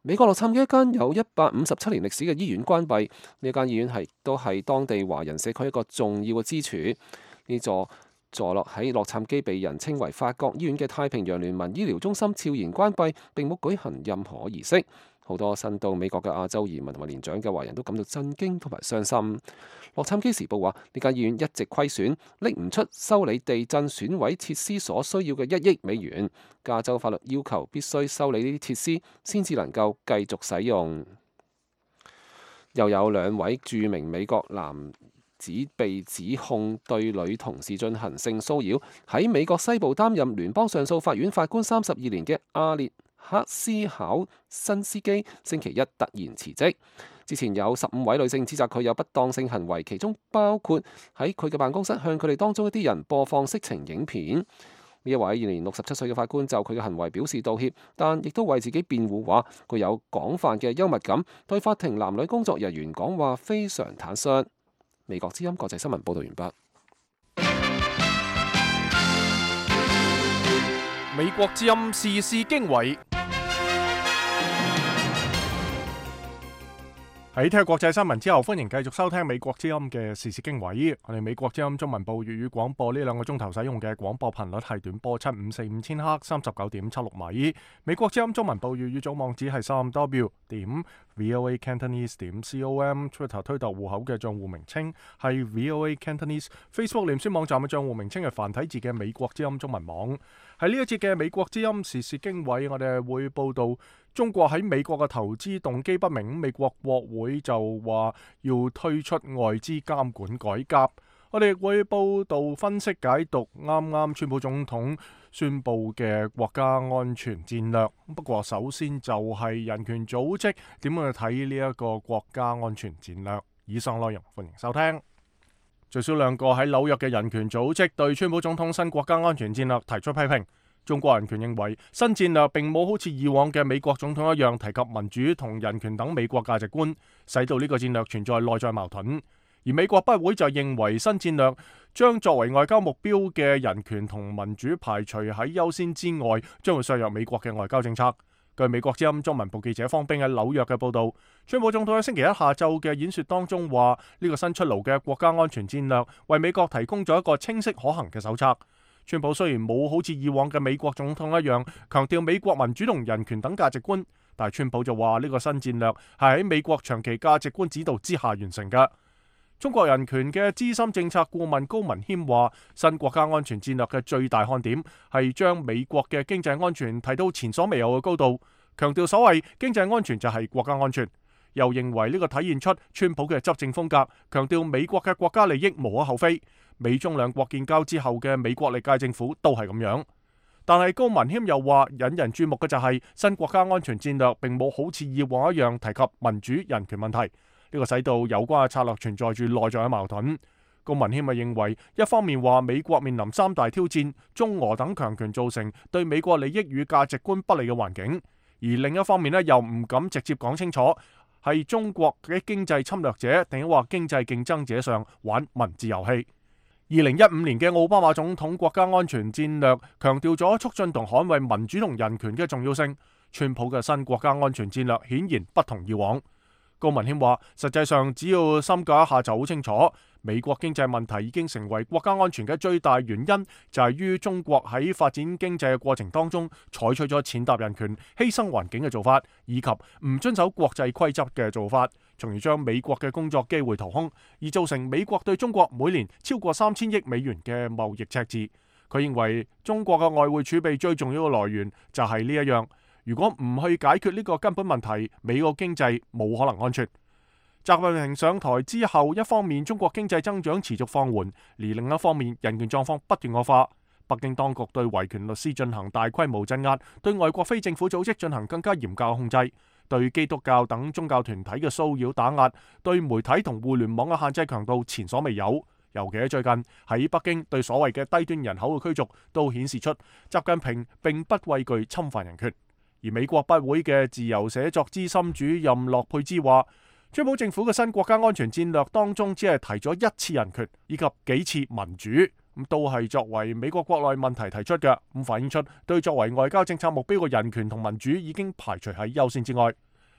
美國洛杉磯一間有一百五十七年歷史嘅醫院關閉，呢間醫院係都係當地華人社區一個重要嘅支柱。呢座坐落喺洛杉磯被人稱為法國醫院嘅太平洋聯盟醫療中心悄然關閉，並冇舉行任何儀式。好多新到美國嘅亞洲移民同埋年長嘅華人都感到震驚同埋傷心。洛杉磯時報話，呢間醫院一直虧損，拎唔出修理地震損毀設施所需要嘅一億美元。加州法律要求必須修理呢啲設施，先至能夠繼續使用。又有兩位著名美國男子被指控對女同事進行性騷擾。喺美國西部擔任聯邦上訴法院法官三十二年嘅阿列克斯考辛斯基星期一突然辭職。之前有十五位女性指責佢有不當性行為，其中包括喺佢嘅辦公室向佢哋當中一啲人播放色情影片。呢一位現年六十七歲嘅法官就佢嘅行為表示道歉，但亦都為自己辯護，話具有廣泛嘅幽默感，對法庭男女工作人員講話非常坦率。美國之音國際新聞報道完畢。美國之音時事經緯。喺聽國際新聞之後，歡迎繼續收聽美國之音嘅時事經緯。我哋美國之音中文部粵語廣播呢兩個鐘頭使用嘅廣播頻率係短波七五四五千赫，三十九點七六米。美國之音中文部粵語總網址係三 w 點 voa cantonese 點 com。Twitter 推特戶口嘅賬戶名稱係 voa cantonese。Facebook 臉書網站嘅賬戶名稱係繁體字嘅美國之音中文網。喺呢一節嘅美國之音時事經緯，我哋會報道中國喺美國嘅投資動機不明，美國國會就話要推出外資監管改革。我哋亦會報道分析解讀啱啱川普總統宣布嘅國家安全戰略。不過首先就係人權組織點樣去睇呢一個國家安全戰略。以上內容歡迎收聽。最少兩個喺紐約嘅人權組織對川普總統新國家安全戰略提出批評。中國人權認為新戰略並冇好似以往嘅美國總統一樣提及民主同人權等美國價值觀，使到呢個戰略存在內在矛盾。而美國不會就認為新戰略將作為外交目標嘅人權同民主排除喺優先之外，將會削弱美國嘅外交政策。據美國之音中文部記者方冰喺紐約嘅報導，川普總統喺星期一下晝嘅演說當中話，呢個新出爐嘅國家安全戰略為美國提供咗一個清晰可行嘅手冊。川普雖然冇好似以往嘅美國總統一樣強調美國民主同人權等價值觀，但係川普就話呢個新戰略係喺美國長期價值觀指導之下完成嘅。中國人權嘅資深政策顧問高文謙話，新國家安全戰略嘅最大看點係將美國嘅經濟安全提到前所未有嘅高度，強調所謂經濟安全就係國家安全。又認為呢個體現出川普嘅執政風格，強調美國嘅國家利益無可厚非。美中兩國建交之後嘅美國歷屆政府都係咁樣。但係高文謙又話，引人注目嘅就係新國家安全戰略並冇好似以往一樣提及民主人權問題。呢個使到有關嘅策略存在住內在嘅矛盾。高文謙咪認為，一方面話美國面臨三大挑戰，中俄等強權造成對美國利益與價值觀不利嘅環境，而另一方面呢又唔敢直接講清楚係中國嘅經濟侵略者定係話經濟競爭者上玩文字遊戲。二零一五年嘅奧巴馬總統國家安全戰略強調咗促進同捍衛民主同人權嘅重要性。川普嘅新國家安全戰略顯然不同以往。高文謙話，實際上只要深究一下就好清楚，美國經濟問題已經成為國家安全嘅最大原因，就係於中國喺發展經濟嘅過程當中採取咗踐踏人權、犧牲環境嘅做法，以及唔遵守國際規則嘅做法，從而將美國嘅工作機會掏空，而造成美國對中國每年超過三千億美元嘅貿易赤字。佢認為中國嘅外匯儲備最重要嘅來源就係呢一樣。如果唔去解決呢個根本問題，美國經濟冇可能安全。習近平上台之後，一方面中國經濟增長持續放緩，而另一方面人權狀況不斷惡化。北京當局對維權律師進行大規模鎮壓，對外國非政府組織進行更加嚴格控制，對基督教等宗教團體嘅騷擾打壓，對媒體同互聯網嘅限制強度前所未有。尤其喺最近喺北京對所謂嘅低端人口嘅驅逐，都顯示出習近平並不畏懼侵犯人權。而美國不會嘅自由寫作資深主任洛佩茲話，川普政府嘅新國家安全戰略當中只係提咗一次人權以及幾次民主，咁都係作為美國國內問題提出嘅，咁反映出對作為外交政策目標嘅人權同民主已經排除喺優先之外。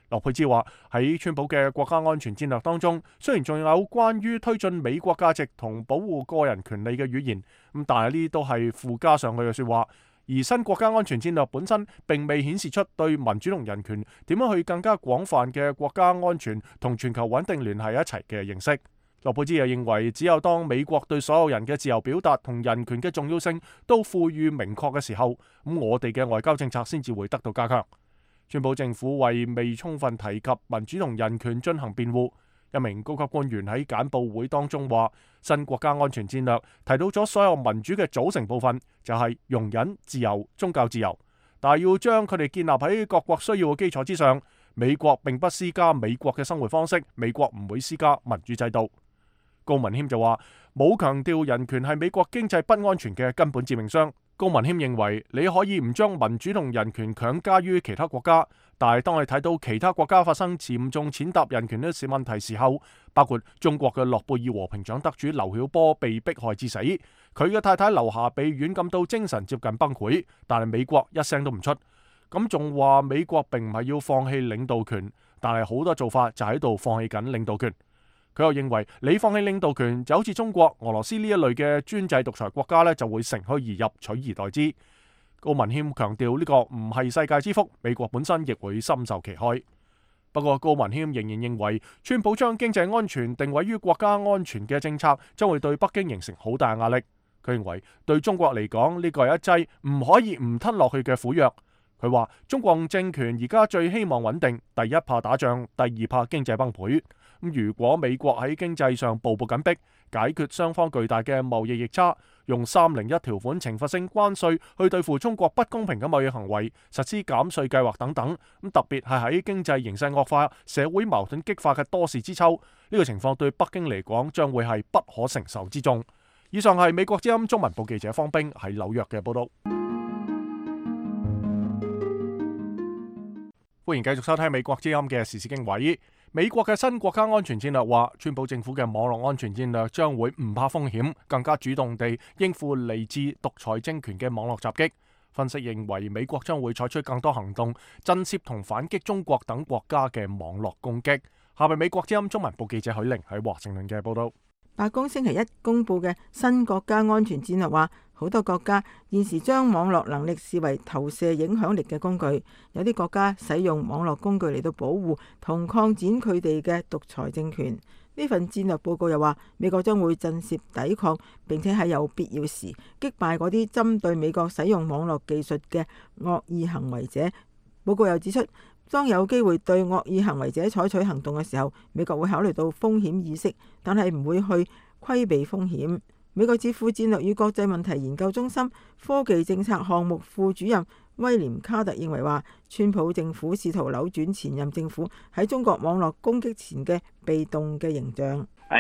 洛佩茲話，喺川普嘅國家安全戰略當中，雖然仲有關於推進美國價值同保護個人權利嘅語言，咁但係呢啲都係附加上去嘅說話。而新國家安全戰略本身並未顯示出對民主同人權點樣去更加廣泛嘅國家安全同全球穩定聯繫一齊嘅認識。洛佩茲又認為，只有當美國對所有人嘅自由表達同人權嘅重要性都賦予明確嘅時候，咁我哋嘅外交政策先至會得到加強。川普政府為未充分提及民主同人權進行辯護。一名高級官員喺簡報會當中話，新國家安全戰略提到咗所有民主嘅組成部分，就係容忍、自由、宗教自由，但係要將佢哋建立喺各國需要嘅基礎之上。美國並不施加美國嘅生活方式，美國唔會施加民主制度。高文謙就話，冇強調人權係美國經濟不安全嘅根本致命傷。高文謙認為，你可以唔將民主同人權強加於其他國家，但係當你睇到其他國家發生嚴重踐踏人權呢啲問題時候，包括中國嘅諾貝爾和平獎得主劉曉波被迫害致死，佢嘅太太劉霞被軟禁到精神接近崩潰，但係美國一聲都唔出，咁仲話美國並唔係要放棄領導權，但係好多做法就喺度放棄緊領導權。佢又認為，你放棄領導權就好似中國、俄羅斯呢一類嘅專制獨裁國家呢，就會乘虛而入，取而代之。高文謙強調呢個唔係世界之福，美國本身亦會深受其害。不過高文謙仍然認為，川普將經濟安全定位於國家安全嘅政策，將會對北京形成好大壓力。佢認為對中國嚟講，呢個係一劑唔可以唔吞落去嘅苦藥。佢話中共政權而家最希望穩定，第一怕打仗，第二怕經濟崩潰。咁如果美國喺經濟上步步緊逼，解決雙方巨大嘅貿易逆差，用三零一條款懲罰性關稅去對付中國不公平嘅貿易行為，實施減稅計劃等等，咁特別係喺經濟形勢惡化、社會矛盾激化嘅多事之秋，呢個情況對北京嚟講將會係不可承受之重。以上係美國之音中文部記者方冰喺紐約嘅報道。歡迎繼續收聽美國之音嘅時事經緯。美國嘅新國家安全戰略話，川普政府嘅網絡安全戰略將會唔怕風險，更加主動地應付嚟自獨裁政權嘅網絡襲擊。分析認為，美國將會採取更多行動，震懾同反擊中國等國家嘅網絡攻擊。下面美國之音中文部記者許玲喺華盛頓嘅報道。白宮星期一公布嘅新國家安全戰略話，好多國家現時將網絡能力視為投射影響力嘅工具，有啲國家使用網絡工具嚟到保護同擴展佢哋嘅獨裁政權。呢份戰略報告又話，美國將會震懾抵抗，並且喺有必要時擊敗嗰啲針對美國使用網絡技術嘅惡意行為者。報告又指出，當有機會對惡意行為者採取行動嘅時候，美國會考慮到風險意識，但係唔會去規避風險。美國智庫戰略與國際問題研究中心科技政策項目副主任威廉卡特認為話，川普政府試圖扭轉前任政府喺中國網絡攻擊前嘅被動嘅形象。卡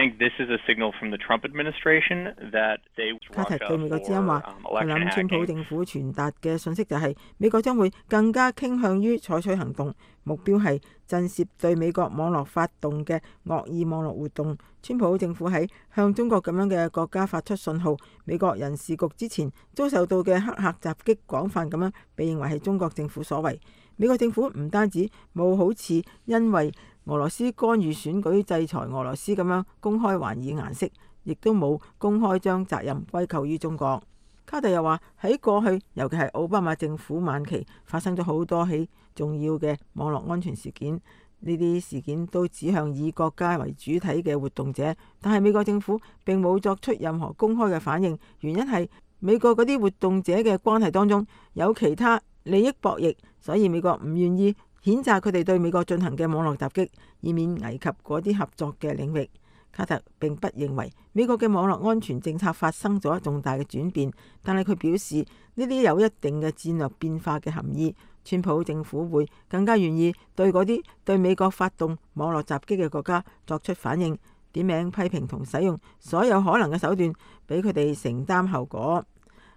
特對美國之音話，佢諗川普政府傳達嘅信息就係美國將會更加傾向於採取行動，目標係震懾對美國網絡發動嘅惡意網絡活動。川普政府喺向中國咁樣嘅國家發出信號，美國人事局之前遭受到嘅黑客襲擊廣泛咁樣被認為係中國政府所為。美國政府唔單止冇好似因為俄羅斯干預選舉制裁俄羅斯咁樣公開還以顏色，亦都冇公開將責任歸咎於中國。卡特又話，喺過去，尤其係奧巴馬政府晚期，發生咗好多起重要嘅網絡安全事件，呢啲事件都指向以國家為主體嘅活動者，但係美國政府並冇作出任何公開嘅反應，原因係美國嗰啲活動者嘅關係當中有其他利益博弈，所以美國唔願意譴責佢哋對美國進行嘅網絡襲擊，以免危及嗰啲合作嘅領域。卡特並不認為美國嘅網絡安全政策發生咗重大嘅轉變，但係佢表示呢啲有一定嘅戰略變化嘅含義。川普政府會更加願意對嗰啲對美國發動網絡襲擊嘅國家作出反應，點名批評同使用所有可能嘅手段，俾佢哋承擔後果。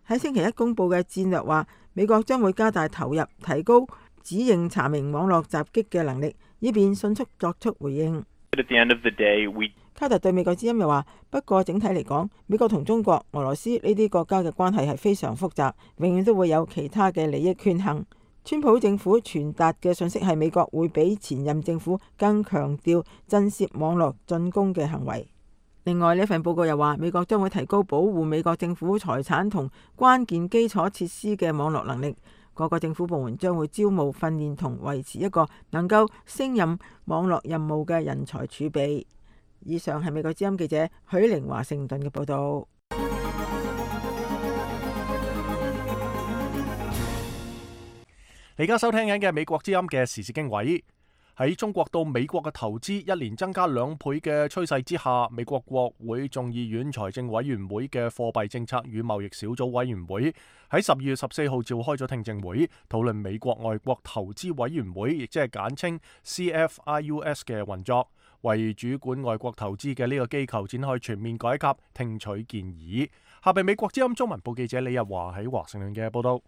喺星期一公佈嘅戰略話，美國將會加大投入，提高指認查明網絡襲擊嘅能力，以便迅速作出回應。卡特對美國之音又話，不過整體嚟講，美國同中國、俄羅斯呢啲國家嘅關係係非常複雜，永遠都會有其他嘅利益權衡。川普政府傳達嘅信息係美國會比前任政府更強調震懾網絡進攻嘅行為。另外，呢份報告又話，美國將會提高保護美國政府財產同關鍵基礎設施嘅網絡能力。各個政府部門將會招募、訓練同維持一個能夠勝任網絡任務嘅人才儲備。以上係美國之音記者許玲華盛頓嘅報道。你而家收聽緊嘅美國之音嘅時事經緯。喺中國到美國嘅投資一年增加兩倍嘅趨勢之下，美國國會眾議院財政委員會嘅貨幣政策與貿易小組委員會喺十二月十四號召開咗聽證會，討論美國外國投資委員會，亦即係簡稱 C F I U S 嘅運作，為主管外國投資嘅呢個機構展開全面改革，聽取建議。下邊美國之音中文部記者李日華喺華盛頓嘅報道。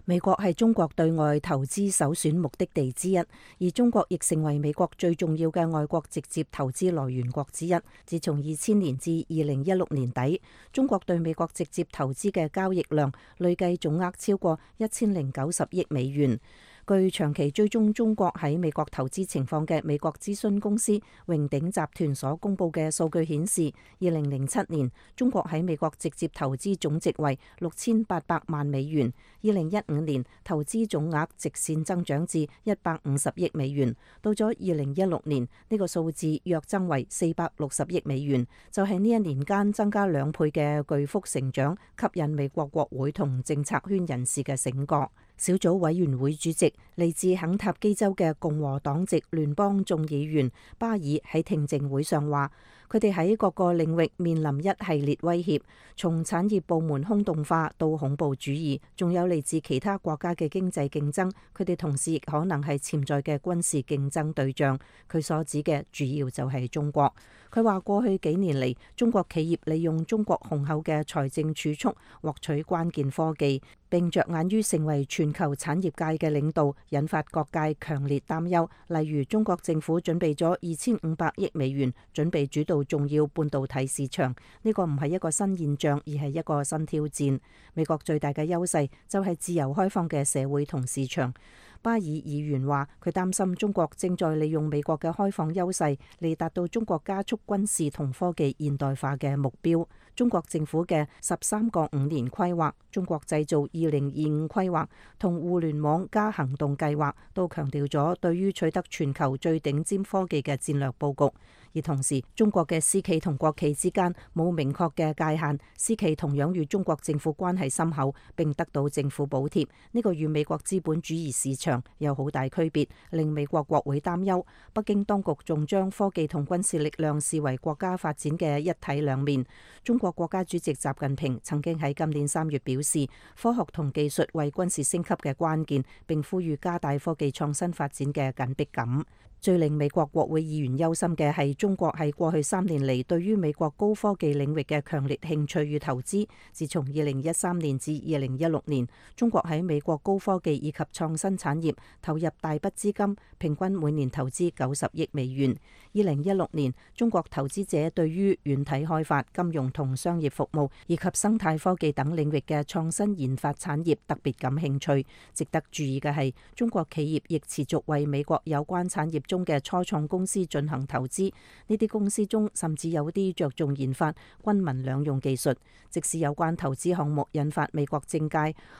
美國係中國對外投資首選目的地之一，而中國亦成為美國最重要嘅外國直接投資來源國之一。自從二千年至二零一六年底，中國對美國直接投資嘅交易量累計總額超過一千零九十億美元。據長期追蹤中國喺美國投資情況嘅美國諮詢公司榮鼎集團所公佈嘅數據顯示，二零零七年中國喺美國直接投資總值為六千八百萬美元，二零一五年投資總額直線增長至一百五十億美元，到咗二零一六年呢個數字躍增為四百六十億美元，就係呢一年間增加兩倍嘅巨幅成長，吸引美國國會同政策圈人士嘅醒覺。小組委員會主席嚟自肯塔基州嘅共和黨籍聯邦眾議員巴爾喺聽證會上話，佢哋喺各個領域面臨一系列威脅，從產業部門空洞化到恐怖主義，仲有嚟自其他國家嘅經濟競爭，佢哋同時亦可能係潛在嘅軍事競爭對象。佢所指嘅主要就係中國。佢話過去幾年嚟，中國企業利用中國雄厚嘅財政儲蓄獲取關鍵科技，並着眼於成為全球產業界嘅領導，引發各界強烈擔憂。例如，中國政府準備咗二千五百億美元，準備主導重要半導體市場。呢個唔係一個新現象，而係一個新挑戰。美國最大嘅優勢就係自由開放嘅社會同市場。巴爾議員話：佢擔心中國正在利用美國嘅開放優勢嚟達到中國加速軍事同科技現代化嘅目標。中國政府嘅十三個五年規劃、中國製造二零二五規劃同互聯網加行動計劃都強調咗對於取得全球最頂尖科技嘅戰略佈局。而同時，中國嘅私企同國企之間冇明確嘅界限，私企同樣與中國政府關係深厚，並得到政府補貼。呢個與美國資本主義市場有好大區別，令美國國會擔憂。北京當局仲將科技同軍事力量視為國家發展嘅一體兩面。中國國家主席習近平曾經喺今年三月表示，科學同技術為軍事升級嘅關鍵，並呼籲加大科技創新發展嘅緊迫感。最令美國國會議員憂心嘅係中國喺過去三年嚟對於美國高科技領域嘅強烈興趣與投資。自從二零一三年至二零一六年，中國喺美國高科技以及創新產業投入大筆資金，平均每年投資九十億美元。二零一六年，中國投資者對於軟體開發、金融同商業服務以及生態科技等領域嘅創新研發產業特別感興趣。值得注意嘅係，中國企業亦持續為美國有關產業中嘅初創公司進行投資，呢啲公司中甚至有啲着重研發軍民兩用技術。即使有關投資項目引發美國政界、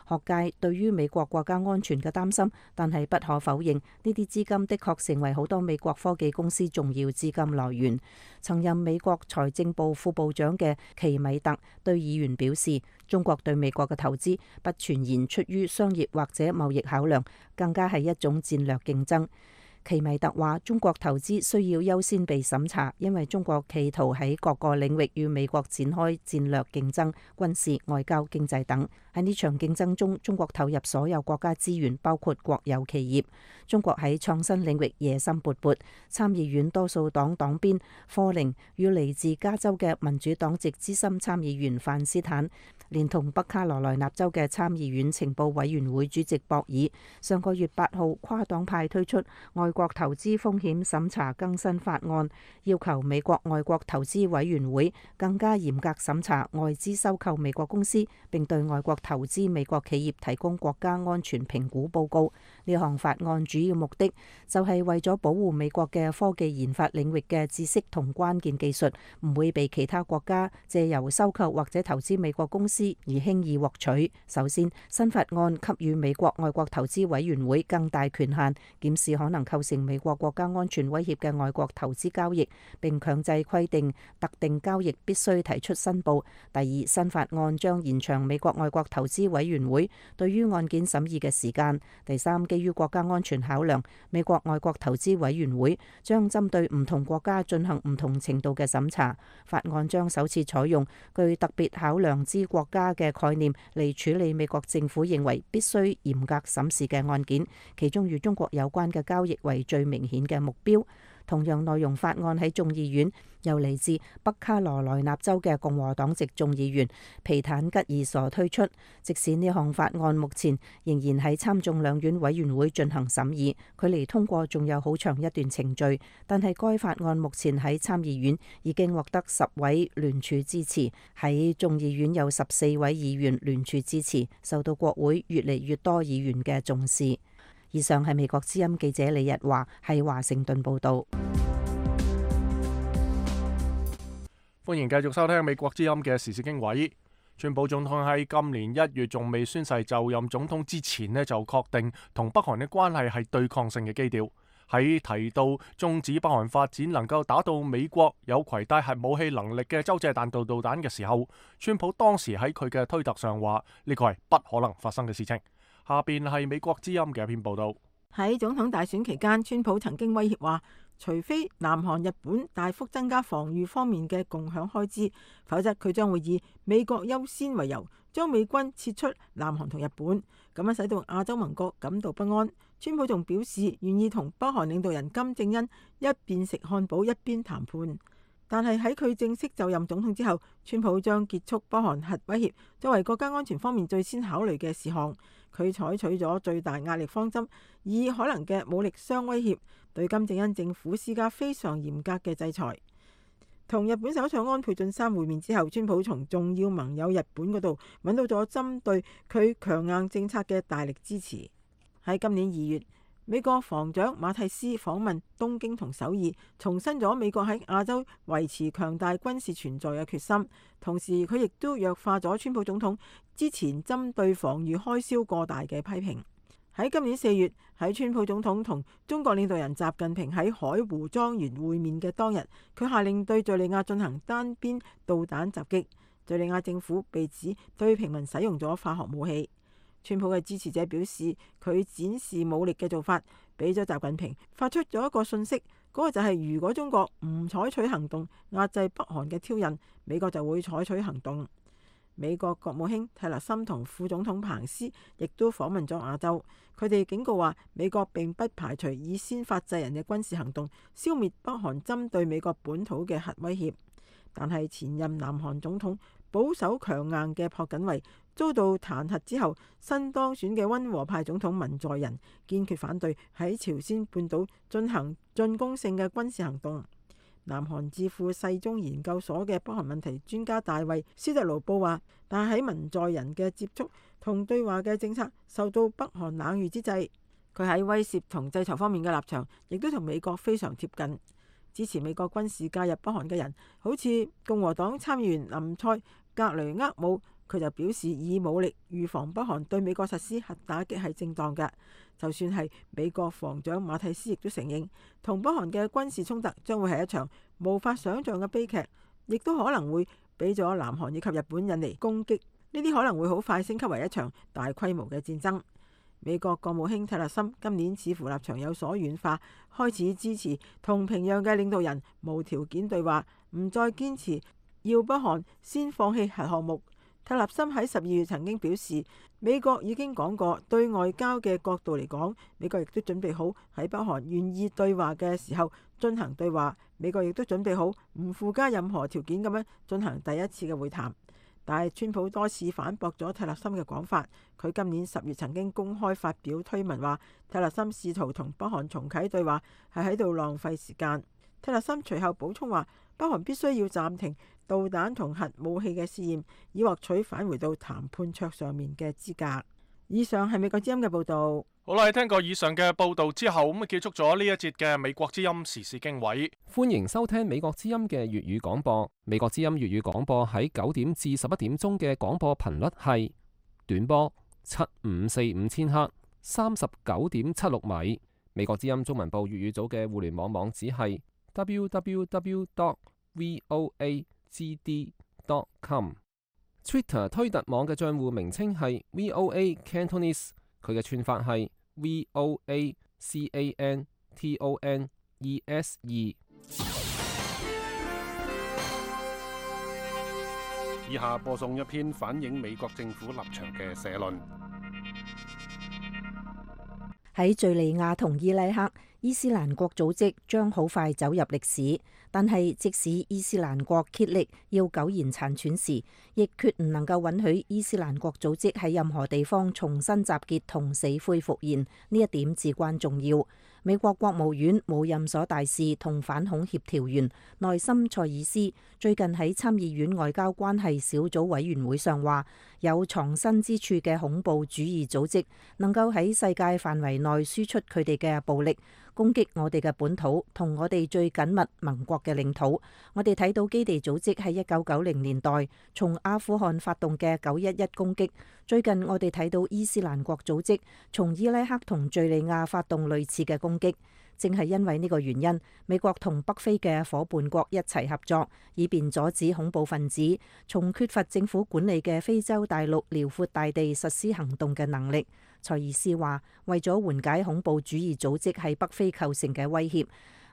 學界對於美國國家安全嘅擔心，但係不可否認，呢啲資金的確成為好多美國科技公司重要資金來源。曾任美國財政部副部長嘅奇米特對議員表示，中國對美國嘅投資不全然出於商業或者貿易考量，更加係一種戰略競爭。奇米特話：中國投資需要優先被審查，因為中國企圖喺各個領域與美國展開戰略競爭、軍事、外交、經濟等。喺呢場競爭中，中國投入所有國家資源，包括國有企業。中國喺創新領域野心勃勃。參議院多數黨黨鞭科寧與嚟自加州嘅民主黨籍資深參議員范斯坦，連同北卡羅來納州嘅參議院情報委員會主席博爾，上個月八號跨黨派推出外國投資風險審查更新法案，要求美國外國投資委員會更加嚴格審查外資收購美國公司，並對外國投資美國企業提供國家安全評估報告。呢項法案主要目的就係為咗保護美國嘅科技研發領域嘅知識同關鍵技術唔會被其他國家借由收購或者投資美國公司而輕易獲取。首先，新法案給予美國外國投資委員會更大權限，檢視可能構成美國國家安全威脅嘅外國投資交易，並強制規定特定交易必須提出申報。第二，新法案將延長美國外國投資委員會對於案件審議嘅時間。第三，基於國家安全考量，美國外國投資委員會將針對唔同國家進行唔同程度嘅審查。法案將首次採用具特別考量之國家嘅概念嚟處理美國政府認為必須嚴格審視嘅案件，其中與中國有關嘅交易為最明顯嘅目標。同樣內容法案喺眾議院由嚟自北卡羅來納州嘅共和黨籍眾議員皮坦吉爾所推出。即使呢項法案目前仍然喺參眾兩院委員會進行審議，距離通過仲有好長一段程序，但係該法案目前喺參議院已經獲得十位聯署支持，喺眾議院有十四位議員聯署支持，受到國會越嚟越多議員嘅重視。以上係美國之音記者李日華喺華盛頓報道。歡迎繼續收聽美國之音嘅時事經緯。川普總統喺今年一月仲未宣誓就任總統之前呢，就確定同北韓嘅關係係對抗性嘅基調。喺提到終止北韓發展能夠打到美國有攜帶核武器能力嘅洲際彈道導彈嘅時候，川普當時喺佢嘅推特上話呢個係不可能發生嘅事情。下邊係美國之音嘅一篇報道。喺總統大選期間，川普曾經威脅話，除非南韓、日本大幅增加防禦方面嘅共享開支，否則佢將會以美國優先為由，將美軍撤出南韓同日本，咁樣使到亞洲盟國感到不安。川普仲表示願意同北韓領導人金正恩一邊食漢堡一邊談判。但係喺佢正式就任總統之後，川普將結束北韓核威脅作為國家安全方面最先考慮嘅事項。佢採取咗最大壓力方針，以可能嘅武力相威脅對金正恩政府施加非常嚴格嘅制裁。同日本首相安倍晉三會面之後，川普從重要盟友日本嗰度揾到咗針對佢強硬政策嘅大力支持。喺今年二月，美國防長馬蒂斯訪問東京同首爾，重申咗美國喺亞洲維持強大軍事存在嘅決心。同時，佢亦都弱化咗川普總統之前針對防禦開銷過大嘅批評。喺今年四月，喺川普總統同中國領導人習近平喺海湖莊園會面嘅當日，佢下令對敘利亞進行單邊導彈襲擊。敘利亞政府被指對平民使用咗化學武器。川普嘅支持者表示，佢展示武力嘅做法，俾咗習近平發出咗一個訊息，嗰個就係如果中國唔採取行動壓制北韓嘅挑釁，美國就會採取行動。美國國務卿蒂勒森同副總統彭斯亦都訪問咗亞洲，佢哋警告話，美國並不排除以先發制人嘅軍事行動消滅北韓針對美國本土嘅核威脅。但係前任南韓總統保守強硬嘅朴槿惠遭到彈劾之後，新當選嘅溫和派總統文在寅堅決反對喺朝鮮半島進行進攻性嘅軍事行動。南韓智庫世宗研究所嘅北韓問題專家大衛斯特勞布話，但係喺文在寅嘅接觸同對話嘅政策受到北韓冷遇之際，佢喺威懾同制裁方面嘅立場亦都同美國非常貼近。支持美國軍事介入北韓嘅人，好似共和黨參議員林賽格雷厄姆，佢就表示以武力預防北韓對美國實施核打擊係正當嘅。就算係美國防長馬蒂斯亦都承認，同北韓嘅軍事衝突將會係一場無法想像嘅悲劇，亦都可能會俾咗南韓以及日本引嚟攻擊，呢啲可能會好快升級為一場大規模嘅戰爭。美國國務卿蒂勒森今年似乎立場有所軟化，開始支持同平壤嘅領導人無條件對話，唔再堅持要北韓先放棄核項目。蒂勒森喺十二月曾經表示，美國已經講過，對外交嘅角度嚟講，美國亦都準備好喺北韓願意對話嘅時候進行對話，美國亦都準備好唔附加任何條件咁樣進行第一次嘅會談。但係川普多次反駁咗蒂勒森嘅講法。佢今年十月曾經公開發表推文話，蒂勒森試圖同北韓重啟對話係喺度浪費時間。蒂勒森隨後補充話，北韓必須要暫停導彈同核武器嘅試驗，以獲取返回到談判桌上面嘅資格。以上係美國之音嘅報導。好啦，聽過以上嘅報導之後，咁啊結束咗呢一節嘅美國之音時事經緯。歡迎收聽美國之音嘅粵語廣播。美國之音粵語廣播喺九點至十一點鐘嘅廣播頻率係短波七五四五千赫，三十九點七六米。美國之音中文部粵語組嘅互聯網網址係 double-u double-u double-u dot voa g d dot com。Twitter 推特網嘅賬戶名稱係 V O A Cantonese， 佢嘅串法係 V O A C A N T O N E S E。以下播送一篇反映美國政府立場嘅社論。喺敘利亞同伊拉克，伊斯蘭國組織將好快走入歷史，但係即使伊斯蘭國竭力要苟延殘喘時，亦決唔能夠允許伊斯蘭國組織喺任何地方重新集結同死灰復燃，呢一點至關重要。美國國務院無任所大使同反恐協調員內森塞爾斯最近喺參議院外交關係小組委員會上話，有藏身之處嘅恐怖主義組織能夠喺世界範圍內輸出佢哋嘅暴力，攻擊我哋嘅本土同我哋最緊密盟國嘅領土。我哋睇到基地組織喺一九九零年代從阿富汗發動嘅九一一攻擊，最近我哋睇到伊斯蘭國組織從伊拉克同敘利亞發動類似嘅攻擊。正係因為呢個原因，美國同北非嘅夥伴國一齊合作，以便阻止恐怖分子從缺乏政府管理嘅非洲大陸遼闊大地實施行動嘅能力。塞爾斯話：為咗緩解恐怖主義組織喺北非構成嘅威脅，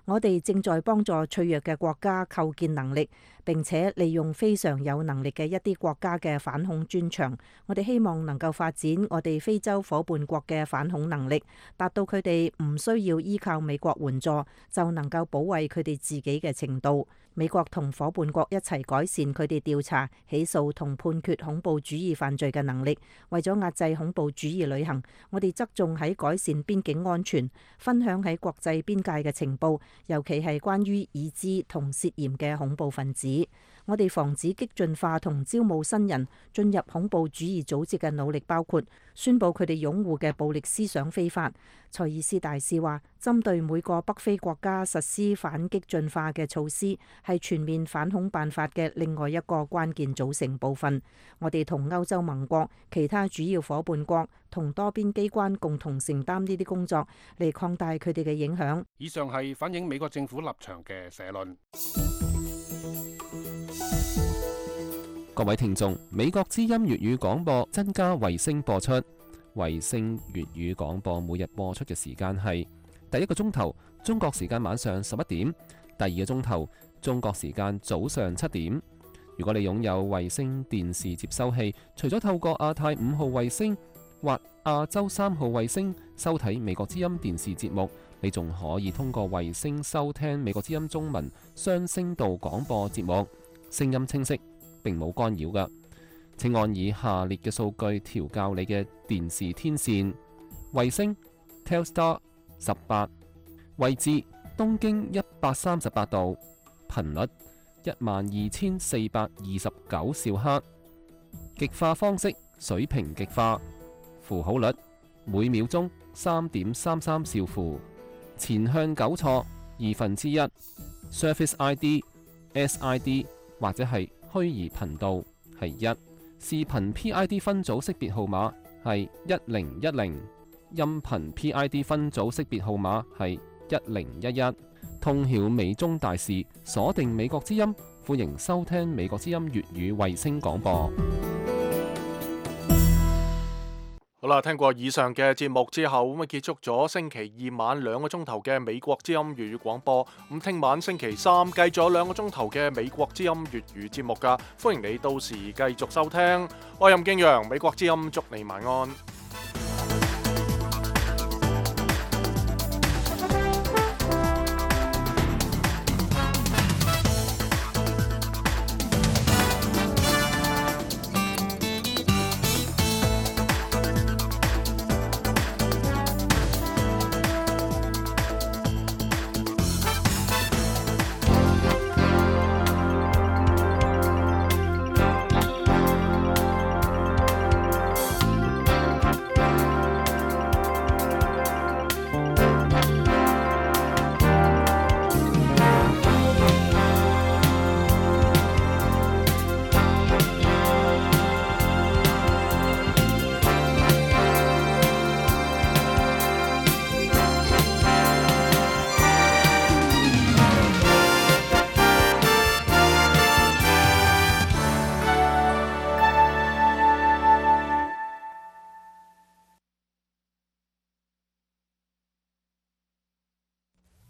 我哋正在幫助脆弱嘅國家構建能力，並且利用非常有能力嘅一啲國家嘅反恐專長。我哋希望能夠發展我哋非洲夥伴國嘅反恐能力，達到佢哋唔需要依靠美國援助就能夠保衛佢哋自己嘅程度。美國同夥伴國一齊改善佢哋調查、起訴同判決恐怖主義犯罪嘅能力。為咗壓制恐怖主義旅行，我哋側重喺改善邊境安全，分享喺國際邊界嘅情報，尤其係關於已知同涉嫌嘅恐怖分子。我哋防止激進化同招募新人進入恐怖主義組織嘅努力，包括宣布佢哋擁護嘅暴力思想非法。塞爾斯大使話，針對每個北非國家實施反激進化嘅措施，係全面反恐辦法嘅另外一個關鍵組成部分。我哋同歐洲盟國、其他主要夥伴國同多邊機關共同承擔呢啲工作，嚟擴大佢哋嘅影響。以上係反映美國政府立場嘅社論。各位聽眾，美國之音粵語廣播增加衛星播出。衛星粵語廣播每日播出嘅時間係第一個鐘頭中國時間晚上十一點，第二個鐘頭中國時間早上七點。如果你擁有衛星電視接收器，除咗透過亞太五號衛星或亞洲三號衛星收睇美國之音電視節目，你仲可以通過衛星收聽美國之音中文雙聲道廣播節目，聲音清晰，並冇干擾㗎。請按以下列嘅數據調校你嘅電視天線：衛星 Telstar 十八，位置東經一百三十八度，頻率一萬二千四百二十九兆赫，極化方式水平極化，符號率每秒鐘三點三三兆符，前向糾錯二分之一 ，Surface I D、S I D 或者係虛擬頻道係一。視頻 P I D 分組識別號碼係一零一零，音頻 P I D 分組識別號碼係一零一一。通曉美中大事，鎖定美國之音，歡迎收聽美國之音粵語衛星廣播。好啦，聽過以上嘅節目之後，咁啊結束咗星期二晚兩個鐘頭嘅美國之音粵語廣播。咁聽晚星期三繼續有兩個鐘頭嘅美國之音粵語節目噶，歡迎你到時繼續收聽。我係任敬陽，美國之音祝你晚安。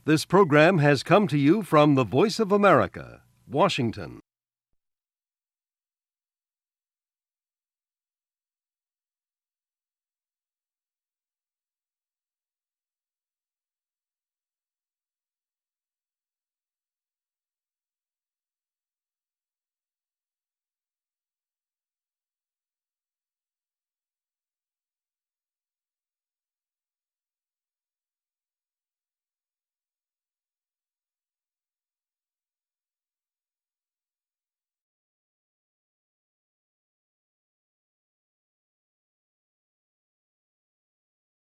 This program has come to you from the Voice of America, Washington.